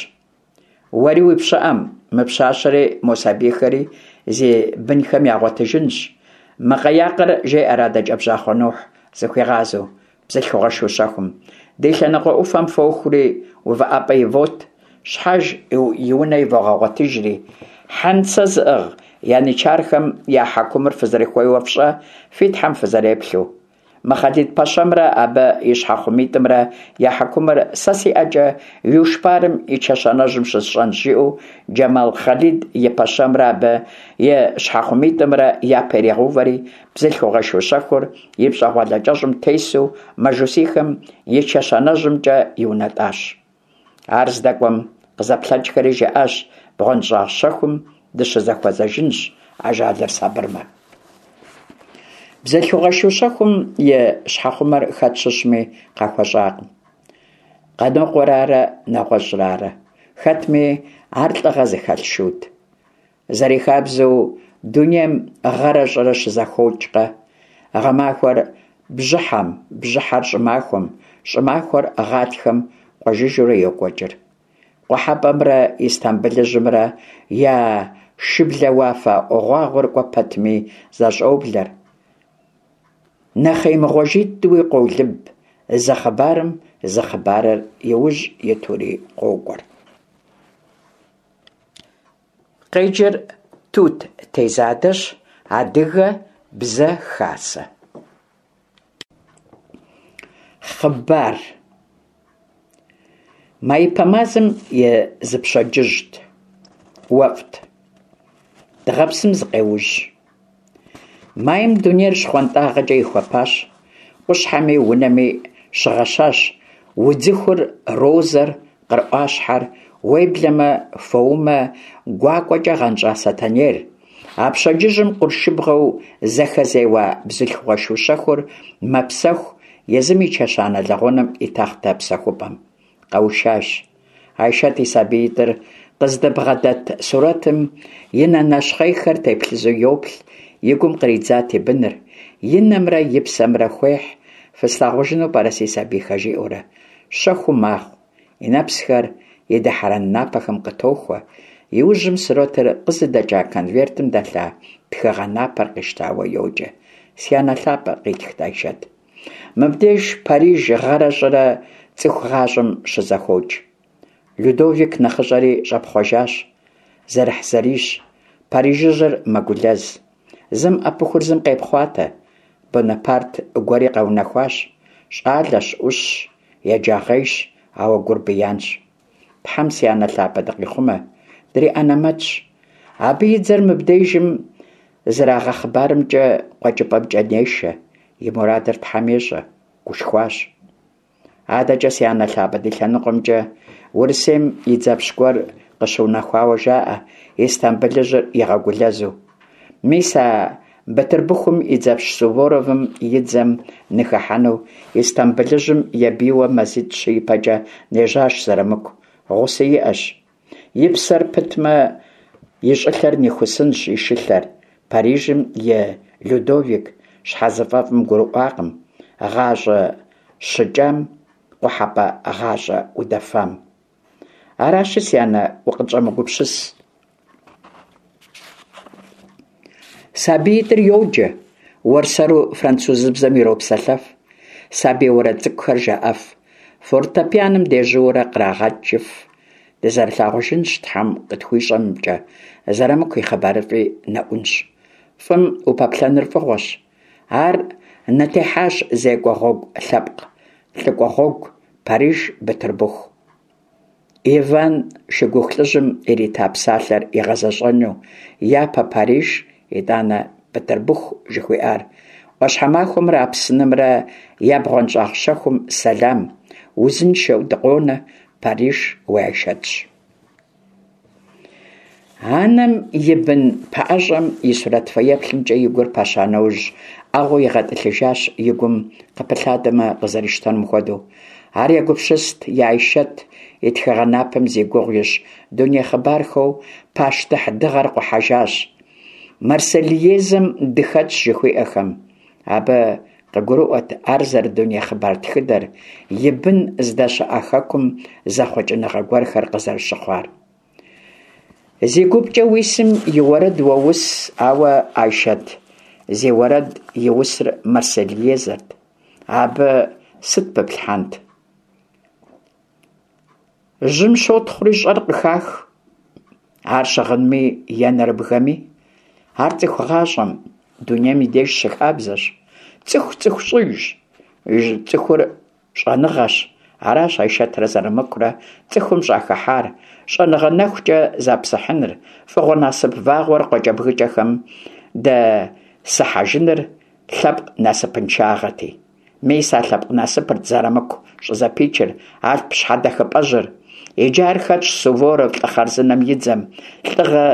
уэри уи пщыӀэм, мы пщащэри мо сабийхэри зи бынхэм ягъуэтыжынщ. Мы къаякъыр, жеӀэр адэкӀэ бжьахъуэ Нухь зыхуигъазэу бзылъхугъэ шу щэхум, ди лъэныкъуэ Ӏуфэм фохури увыӀэпӀэ ивот, щхьэж и унэ ивогъэгъуэтыжри, хьэнцэ зыӀыгъ янычархэм я хьэкумыр фызэрыхуейуэ фщӀэ, фи тхьэм фызэреплъу. Мы Хъалид-пэщэмрэ абы и щхьэхъумитӀымрэ я хьэкумыр сэ си ӀэкӀэ Юшпарым и чэщанэжьым щысщӀэнщ, жиӀэу Джэмал Хъалид и пэщэмрэ абы и щхьэхъумитӀымрэ япэ иригъэувэри, бзылъхугъэ шу щэхур и пщӀэгъуалэ кӀэщӀым тесу мажусийхэм и чэщанэжьымкӀэ иунэтӀащ. Ар здэкӀуэм къызэплъэкӀхэри жаӀащ: бгъуэнщӀагъ щэхум дыщызэхуэзэжынщ, ажалыр сабырмэ. Бзылъхугъэ шу щэхум и щхьэхъумэр хэт щыщми къахуэщӀакъым. Къанокъуэрарэ нэгъуэщӀрарэ. Хэтми, ар лӀыгъэ зыхэлъ шут. Зэрихабзэу, дунейм гъэрэ щӀырэ щызэхокӀкъэ. Гъэмахуэр бжьыхьэм, бжьыхьэр щӀымахуэм, щӀымахуэр гъатхэм къуэжыжурэ йокӀуэкӀыр. КъухьэпӀэмрэ Истамбылыжьымрэ я шыблэ уафэ гъуагъуэр кӀуэ пэтми зэщӀоблэр. Нэхъей мыгъуэжьитӀуи къолыб, зы хъыбарым зы хъыбарыр и ужь итури къокӀуэр. Къеджэр Тут Тезадэщ. Адыгэ бзэ хасэ. Хъыбар. Маипэ мазэм и зы пщэдджыжьт. Уэфӏт. Дыгъэпсым зыкъеужь. Майм дунейр щхъуантӏагъэкӏэ ихуэпащ, къущхьэми унэми щыгъэщащ удзыхур, розэр, къыр ӏуащхьэр, уеблэмэ фоумэ гуакӏуэкӏэ гъэнщӏа сэтэнейр. А пщэдджыжьым къуршыбгъэу зэхэзеуа бзылъхугъэ шу щэхур мэпсэху езым и чэщанэ лэгъунэм и тахътэ псэхупӏэм. Къэушащ. Айшэт и сабиитӏыр къыздыбгъэдэт сурэтым и нэ нэщхъейхэр теплъызэу йоплъ, и гум къридзат и быныр, и нэмрэ и псэмрэ хуехь, фыслъагъужыну пӏэрэ си сабийхэ, жиӏэурэ. Щэхуу магъ, и нэпсхэр и дыхьэрэн напэхэм къытохуэ. Иужьым сурэтыр къызыдэкӏа конвертым дэлъа тхыгъэ напэр къищтауэ йоджэ. Си анэ лъапӏэ, къитхт Айшэт. Мыбдеж Париж гъэрэ щӏырэ цӏыху гъащӏэм щызэхокӏ. Людовик нэхъыщӏэри щӏэпхъуэжащ. Зэрыхьзэрийщ. Парижыжьыр мэгулэз. Зым ӏэпыхур зым къепхъуатэ. Бонапарт гуэри къэунэхуащ. Щӏалэщ, ӏущщ, еджагъейщ, ауэ гурбиянщ. Тхьэм си анэ лъапӏэ дыкъихъумэ, дриӏэнэмэтщ. Абы и дзэр мыбдежым зэрагъэхъыбарымкӏэ къуэкӏыпӏэмкӏэ нешэ. И мурадыр Тхьэм ещӏэ, гушхуащ. Адэкӏэ си анэ лъапӏэ ди лъэныкъуэмкӏэ Урысейм и дзэпщ гуэр къыщыунэхуауэ жаӏэ, Истамбылыжьыр игъэгулэзу. Мис а Бытырбыхум и дзэпщ Суворовым и дзэм ныхыхьэну Истамбылыжьым ебийуэ мазитӏ-щы ипэкӏэ нежьащ Зэрамыку, гъуси иӏэщ. И псэр пытмэ, и щӏылъэр нихусынщ и шылъэр. Парижым и Людовик щхьэзыфӏэфӏым гурыӏуакъым гъащӏэ щыкӏам, къухьэпӏэ гъащӏэ удэфам. Аращи, си анэ, укъытщӏэмыгупсыс. Сабиитӏыр йоджэ, уэрсэру французыбзэм иропсэлъэф, сабий уэрэд цӏыкӏухэр жаӏэф, фортепианом дежьууэрэ кърагъэкӏыф. Дызэрылъагъужынщ, Тхьэм къытхуищӏэмкӏэ, Зэрамыку и хъыбарыфӏи нэӏунщ. Фӏым упэплъэныр фӏыгъуэщ. Ар нытехьащ зекӏуэ гъуэгу лъэпкъ лӏыкӏуэ гъуэгу Париж Бытырбыху. Иван шыгуху лӏыжьым ирита псалъэр игъэзэщӏэну япэ Париж, итӏанэ Бытырбыху жыхуиӏар. Ӏуащхьэмахуэмрэ Апснымрэ я бгъуэнщӏагъ щэхум сэлам, узыншэу дыкъонэ, Париж уи Айшэтщ. Анэм и бын пэӏэщӏэм и сурэт фэеплъымкӏэ и гур пэща нэужь, ӏэгъуу игъэтӏылъыжащ и гум къыпылъадэмэ къызэрищтэнум хуэдэу. Ар егупсыст и Айшэт и тхыгъэ напэм зи гугъу ищӏ дуней хъыбархэу «Пащтыхь дыгъэр къухьэжащ», «Марсельезэм дыхэтщ» жыхуиӏэхэм. Абы къыгурыӏуэт ар зэрыдуней хъыбар тхыдэр, и бын здэщыӏэ хэкум зэхъуэкӏыныгъэ гуэрхэр къызэрыщыхъуар. Зи гупкӏэ уисым и уэрэд уоус, ауэ Айшэт зи уэрэд иусыр Марсельезэрт. Абы сыт пыплъхьэнт? Жьым щотхъури щӏэр къыхах. Ар щыгъынми е нэрыбгэми. Ар цӏыху гъащӏэм, дунейм и деж щыхабзэщ. Цӏыху цӏыху щӏыжщ, цӏыхур щӏэныгъэщ. Аращ Айшэтрэ Зэрамыкурэ цӏыхум щӏахыхьар, щӏэныгъэ нэхукӏэ запсыхьыныр, фӏыгъуэ насып вагъуэр къуакӏэбгыкӏэхэм дэсыхьэжыныр лъэпкъ насыпыншагъэти. Мис а лъэпкъ насыпырт Зэрамыку щӏызэпичыр, Алъп щхьэдэхыпӏэжьыр. Иджы ар хэтщ Суворов лӏы хъарзынэм и дзэм, лӏыгъэ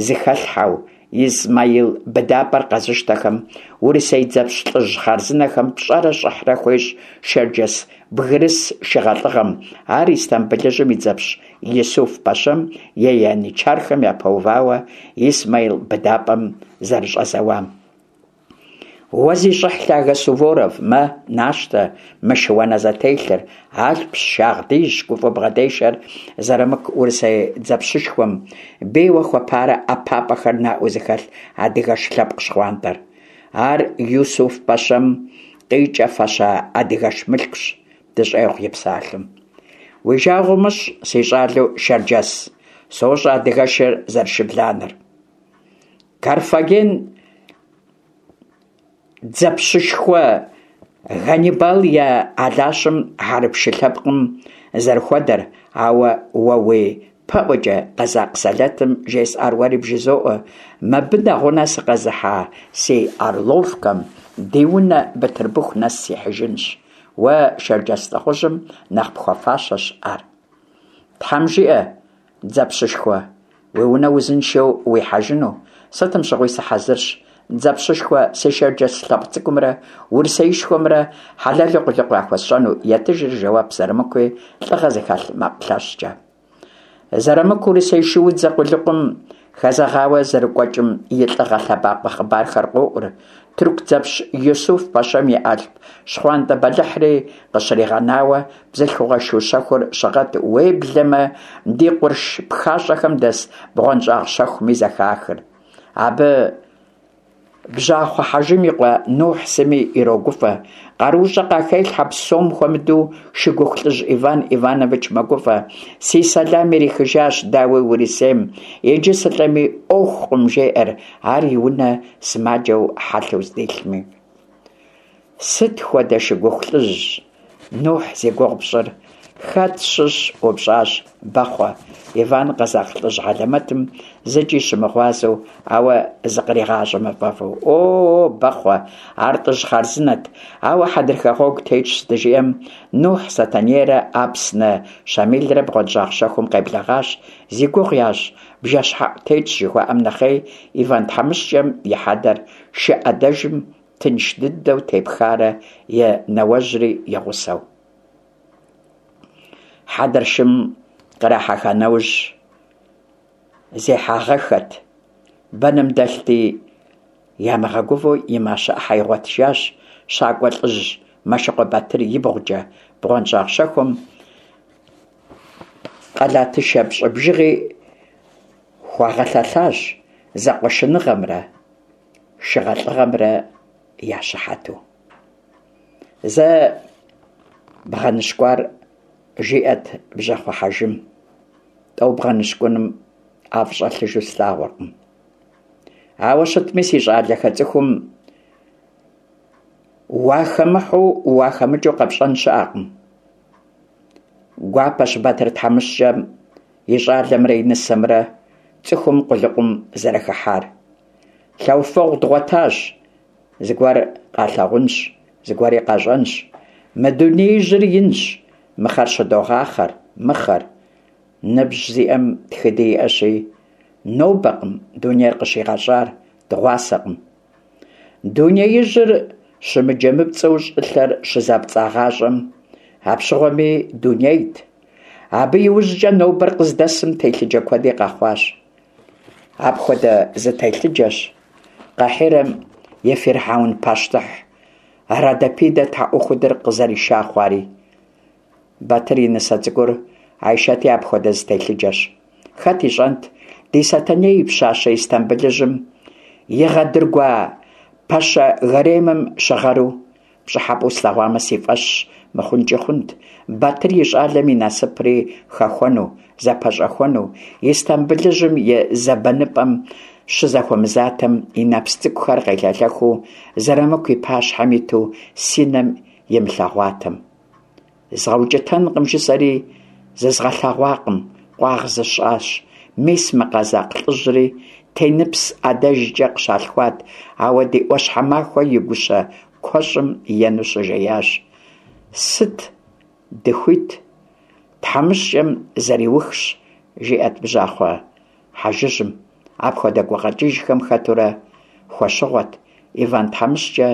зыхэлъхьэу Измаил быдапӏэр къэзыщтэхэм, урысей дзэпщ лӏыжь хъарзынэхэм пщӏэрэ щӏыхьрэ хуещӏ шэрджэс бгырыс шыгъэлӏыгъэм, ар Истамбылыжьым и дзэпщ Исуф пэщэм и янычархэм япэувауэ Исмаил быдапӏэм зэрыщӏэзэуам. Уэ зи щӏыхь лъагэ Суворов, мэ, нащтэ мы шыуанэ зэтелъыр, алъпщ, шагъдийщ, гуфӏэу бгъэдешэр Зэрамыку урысей дзэпщышхуэм, бейуэ хуэпарэ ӏэпапӏэхэр наӏуэу зыхэлъ адыгэш лъэпкъ щхъуантӏэр. Ар Юсуф пэщэм къикӏэфэща адыгэш мылъкущ, дыщӏегъу и псалъэм. Уи жагъуэ умыщӏ, си щӏалэу шэрджэс, СощӀэ адыгэшыр зэрышыбланэр. Карфаген дзэпщышхуэ Ганнибал и алащэм хьэрып шы лъэпкъым зэрыхуэдэр, ауэ уэ уи пэӀуэкӀэ къэзакъ сэлэтым жесӀар уэри бжызоӀэ: мыбы нэгъунэ сыкъэзыхьа си «Орловкэм» ди унэ Бытырбыху нэс сихьыжынщ. Уэ, шэрджэс лӀыхъужьым, нэхъ пхуэфащэщ ар. Тхьэм жиӀэ, дзэпщышхуэ, уи унэ узыншэу уихьэжыну, сытым щыгъуи сыхьэзырщ, дзэпщышхуэ, си шэрджэс лъэпкъ цӀыкӀумрэ Урысеишхуэмрэ хьэлэлу къулыкъу яхуэсщӀэну, етыжыр жэуап Зэрымыкуи лӀыгъэ зыхэлъ макъ лъэщкӀэ. Зэрымыку урысей шуудзэ къулыкъум хэзэгъауэ зэрыкӀуэкӀым и лӀыгъэ лъэбакъуэ хъыбархэр къоӀур, тырку дзэпщ Юсуф-пэщэм и Алъп щхъуантӀэ бэлыхьри къыщригъэнауэ, бзылъхугъэ шу щэхур щыгъэт, уеблэмэ ди къурш пхащӀэхэм дэс бгъуэнщӀагъ щэхуми зэхахыр. Абы Бжьахъуэ Хьэжым и къуэ Нухь сыми ирогуфӀэ, къаруущӀэ къахелъхьэ, псом хуэмыдэу шыгуху лӀыжь Иван Иванович мэгуфӀэ: «Си сэлам ирихыжащ, дауи, Урысейм, иджы сылӀэми Ӏуэхукъым», жеӀэр ар и унэ сымаджэу хьэлъэу здилъми. Сыт хуэдэ шыгуху лӀыжь, Нухь, зи гугъу пщӀыр? Хэт щыщ? ӀупщӀащ Бэхъуэ Иван къэзакъ лӀыжь хьэлэмэтым зыкӀи щымыгъуазэу, ауэ зыкъригъащӀэмэ фӀэфӀу. О, Бэхъуэ, ар лӀыжь хъарзынэт, ауэ хьэдрыхэ гъуэгу тетщ, здыжиӀэм, Нухь Сэтэнейрэ Апсны Щамилрэ бгъуэнщӀагъ щэхум къеблэгъащ, зи гугъу ящӀ бжэщхьэӀу тетщ жыхуаӀэм нэхъей, Иван тхьэмыщкӀэм и хьэдэр шы Ӏэдэжым тынш дыдэу тепхарэ и нэуэжьри и гъусэу. Хьэдэр шым кърахьэха нэужь зехьагъэххэт, бэным дэлъти, ямыгъэгувэу и мащэ Ӏыхьэ игъуэтыжащ щакӀуэ лӀыжь Мэшыкъуэ Батыр ибгъукӀэ, бгъуэнщӀагъ щэхум къалатышэ пщӀы бжыгъи хуагъэлъэлъащ зэкъуэшыныгъэмрэ шыгъэлӀыгъэмрэ я щыхьэту. Зэ бгъэныщкӀуар, жиӀэрт Бжьахъуэ Хьэжым, тӀэу бгъэныщкӀуным ӀэфӀ щӀэлъыжу слъагъуркъым. Ауэ щытми, си щӀалэхэ, цӀыхум уахэмыхьэу уахэмыкӀыу къэпщӀэн щыӀэкъым. Гуапэщ Батыр тхьэмыщкӀэм и щӀалэмрэ и нысэмрэ цӀыхум къулыкъум зэрыхыхьар. Лъэуфэгъу дгъуэтащ, зыгуэр къалъагъунщ, зыгуэри къащӀэнщ. Мы дунеижьыр инщ, мыхъэр щыдогъахъэр, мыхъэр. Ныбжь зиӀэм тхыди иӀэщи, нобэкъым дунейр къыщигъэщӀар, дыгъуасэкъым. Дунеижьыр щымыджэмыпцӀэу щӀылъэр щызапцӀагъащӀэм, апщыгъуэми дунейт. Абы иужькӀэ нобэр къыздэсым телъыджэ куэди къэхъуащ. Апхуэдэ зы телъыджэщ Къахирэм и фирхьэун пащтыхь Родопидэ тхьэӀухудыр къызэриша хъуари. Батыр и нысэ цӀыкӀур Айшэти апхуэдэ зы телъыджэщ. Хэт ищӀэнт ди Сэтэней и пщащэ Истамбылыжьым игъэдыргуа пэщэ гаремым щыгъэру? ПщӀыхьэпӀэу слъэгъуамэ, си фӀэщ мыхъункӀи хъунт, Батыр и щӀалэм и насыпри хэхуэну, зэпэщӀэхуэну, Истамбылыжьым и зэбэныпӀэм щызэхуэмызатэм, и нэпс цӀыкӀухэр къелъэлъэхыу Зэрамыку и пащхьэм иту си нэм имылъэгъуатэм. ЗгъэукӀытэнкъым жысӀэри зызгъэлъэгъуакъым, къуагъ зысщӀащ. Мис мы къэзакъ лӀыжьри Теныпс адэжкӀэ къыщалъхуат, ауэ ди Ӏуащхьэмахуэ и гущэ куэщӀым ену щыжеящ. Сыт дыхуит, тхьэмыщкӀэм зэриухщ, жиӀэрт Бжьахъуэ Хьэжыжьым. Апхуэдэ гукъэкӀыжхэм хэтурэ хуэщыгъуэт Иван тхьэмыщкӀэ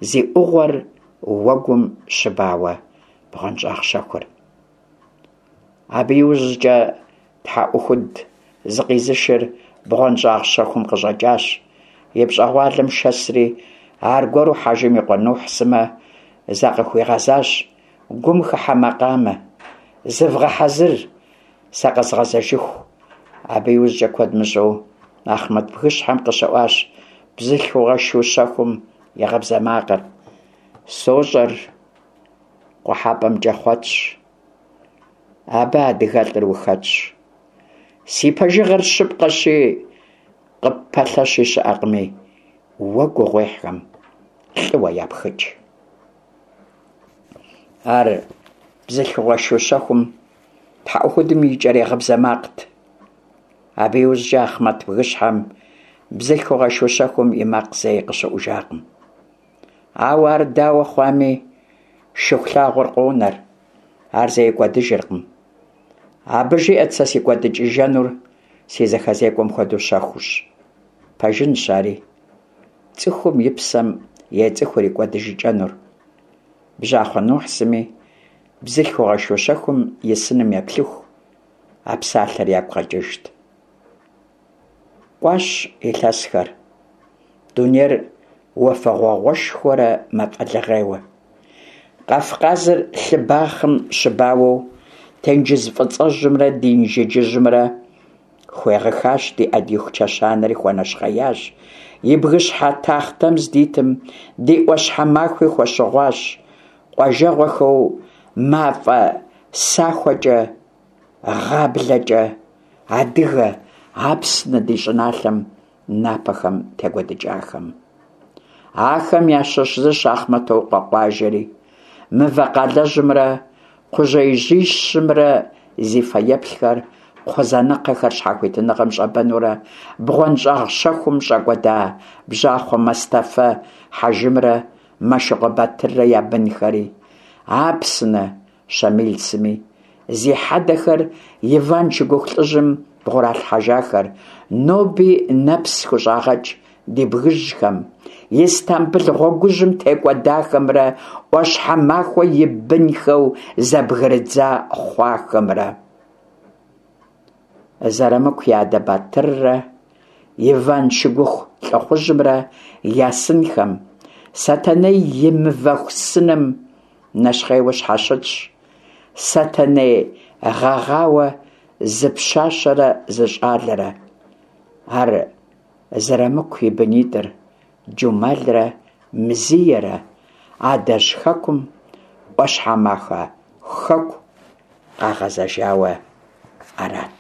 зи Ӏугъуэр уэгум щыбауэ бгъуэнщӀагъ щэхур. Абы иужькӀэ тхьэӀухуд зыкъизышыр бгъуэнщӀагъ щэхум къыщӀэкӀащ. И пщӀэгъуалэм шэсри, аргуэру Хьэжым и къуэ Нухь сымэ закъыхуигъэзащ гум хыхьэ макъамэ: «Зывгъэхьэзыр, сэ къэзгъэзэжыху». Абы иужькӀэ куэд мыщӀэу Ахъмэт бгыщхьэм къыщыӀуащ бзылъхугъэ шу щэхум и гъыбзэ макъыр. СощӀэр, къухьэпӀэмкӀэ хъуэтщ, абы адыгэлӀыр ухэтщ. Си пэжыгъэр щыпкъэщи, къыппэлъэщи щыӀэкъыми, уэ гугъуехьхэм лӀыуэ япхыкӀ. Ар бзылъхугъэ шу щэхум, тхьэӀухудым и икӀэрей гъыбзэ макът. Абы иужькӀэ Ахъмэт бгыщхьэм бзылъхугъэ шу щэхум и макъ зэи къыщыӀужакъым. Ауэ ар дауэ хъуами, Шыхулъагъуэр къонэр, ар зэи кӀуэдыжыркъым. Абы жиӀэт сэ си кӀуэдыкӀыжэнур си зэхэзекӀуэм хуэдэу щэхуущ. Пэжынщ ари. ЦӀыхум и псэм ецӀыхур и кӀуэдыжыкӀэнур. Бжьахъуэ Нухь сыми бзылъхугъэ шу щэхум и сыным еплъыху, а псалъэр ягу къэкӀыжт. КӀуащ илъэсхэр. Дунейр уафэгъуауэшхуэрэ мафӀэлыгъейуэ. Кавказыр лъы бахъэм щыбауэу, тенджыз фӀыцӀэжьымрэ ди Инжыджыжьымрэ хуегъыхащ, ди Ӏэдииху чэщанэри хуэнэщхъеящ, и бгыщхьэ тахътэм здитым, ди Ӏуащхьэмахуи хуэщыгъуащ, къуажэгъуэхэу мафӀэ сахуэкӀэ, гъаблэкӀэ адыгэ, Апсны ди щӀыналъэм напэхэм текӀуэдыкӀахэм. Ахэм ящыщ зыщ Ахъмэтокъуэ къуажэри, Мывэ къалэжьымрэ кхъужьеижьищымрэ зи фэеплъхэр, кхъузанэкхъэхэр щхьэхуитыныгъэм щӀэбэнурэ бгъуэнщӀагъ щэхум щӀэкӀуэда Бжьахъуэ Мэстэфэ хьэжымрэ Мэшыкъуэ Батыррэ я бынхэри, Апсны Щамил сыми, зи хьэдэхэр Иван шыгуху лӀыжьым бгъуралъхьэжахэр, ноби нэпс хущӀагъэкӀ ди бгыжьхэм, Истамбыл гъуэгужьым текӀуэдахэмрэ Ӏуащхьэмахуэ и бынхэу зэбгрыдза хъуахэмрэ. Зэрамыку и адэ Батыррэ Иван шыгуху лӀыхъужьымрэ я сынхэм, Сэтэней и мывэху сыным нэщхъейуэ щхьэщытщ, Сэтэней гъэгъауэ зы пщащэрэ зы щӀалэрэ. Ар Зэрамыку и бынитӀыр, Джумалрэ Мзиерэ, адэжь хэкум, Ӏуащхьэмахуэ хэку къагъэзэжауэ арат.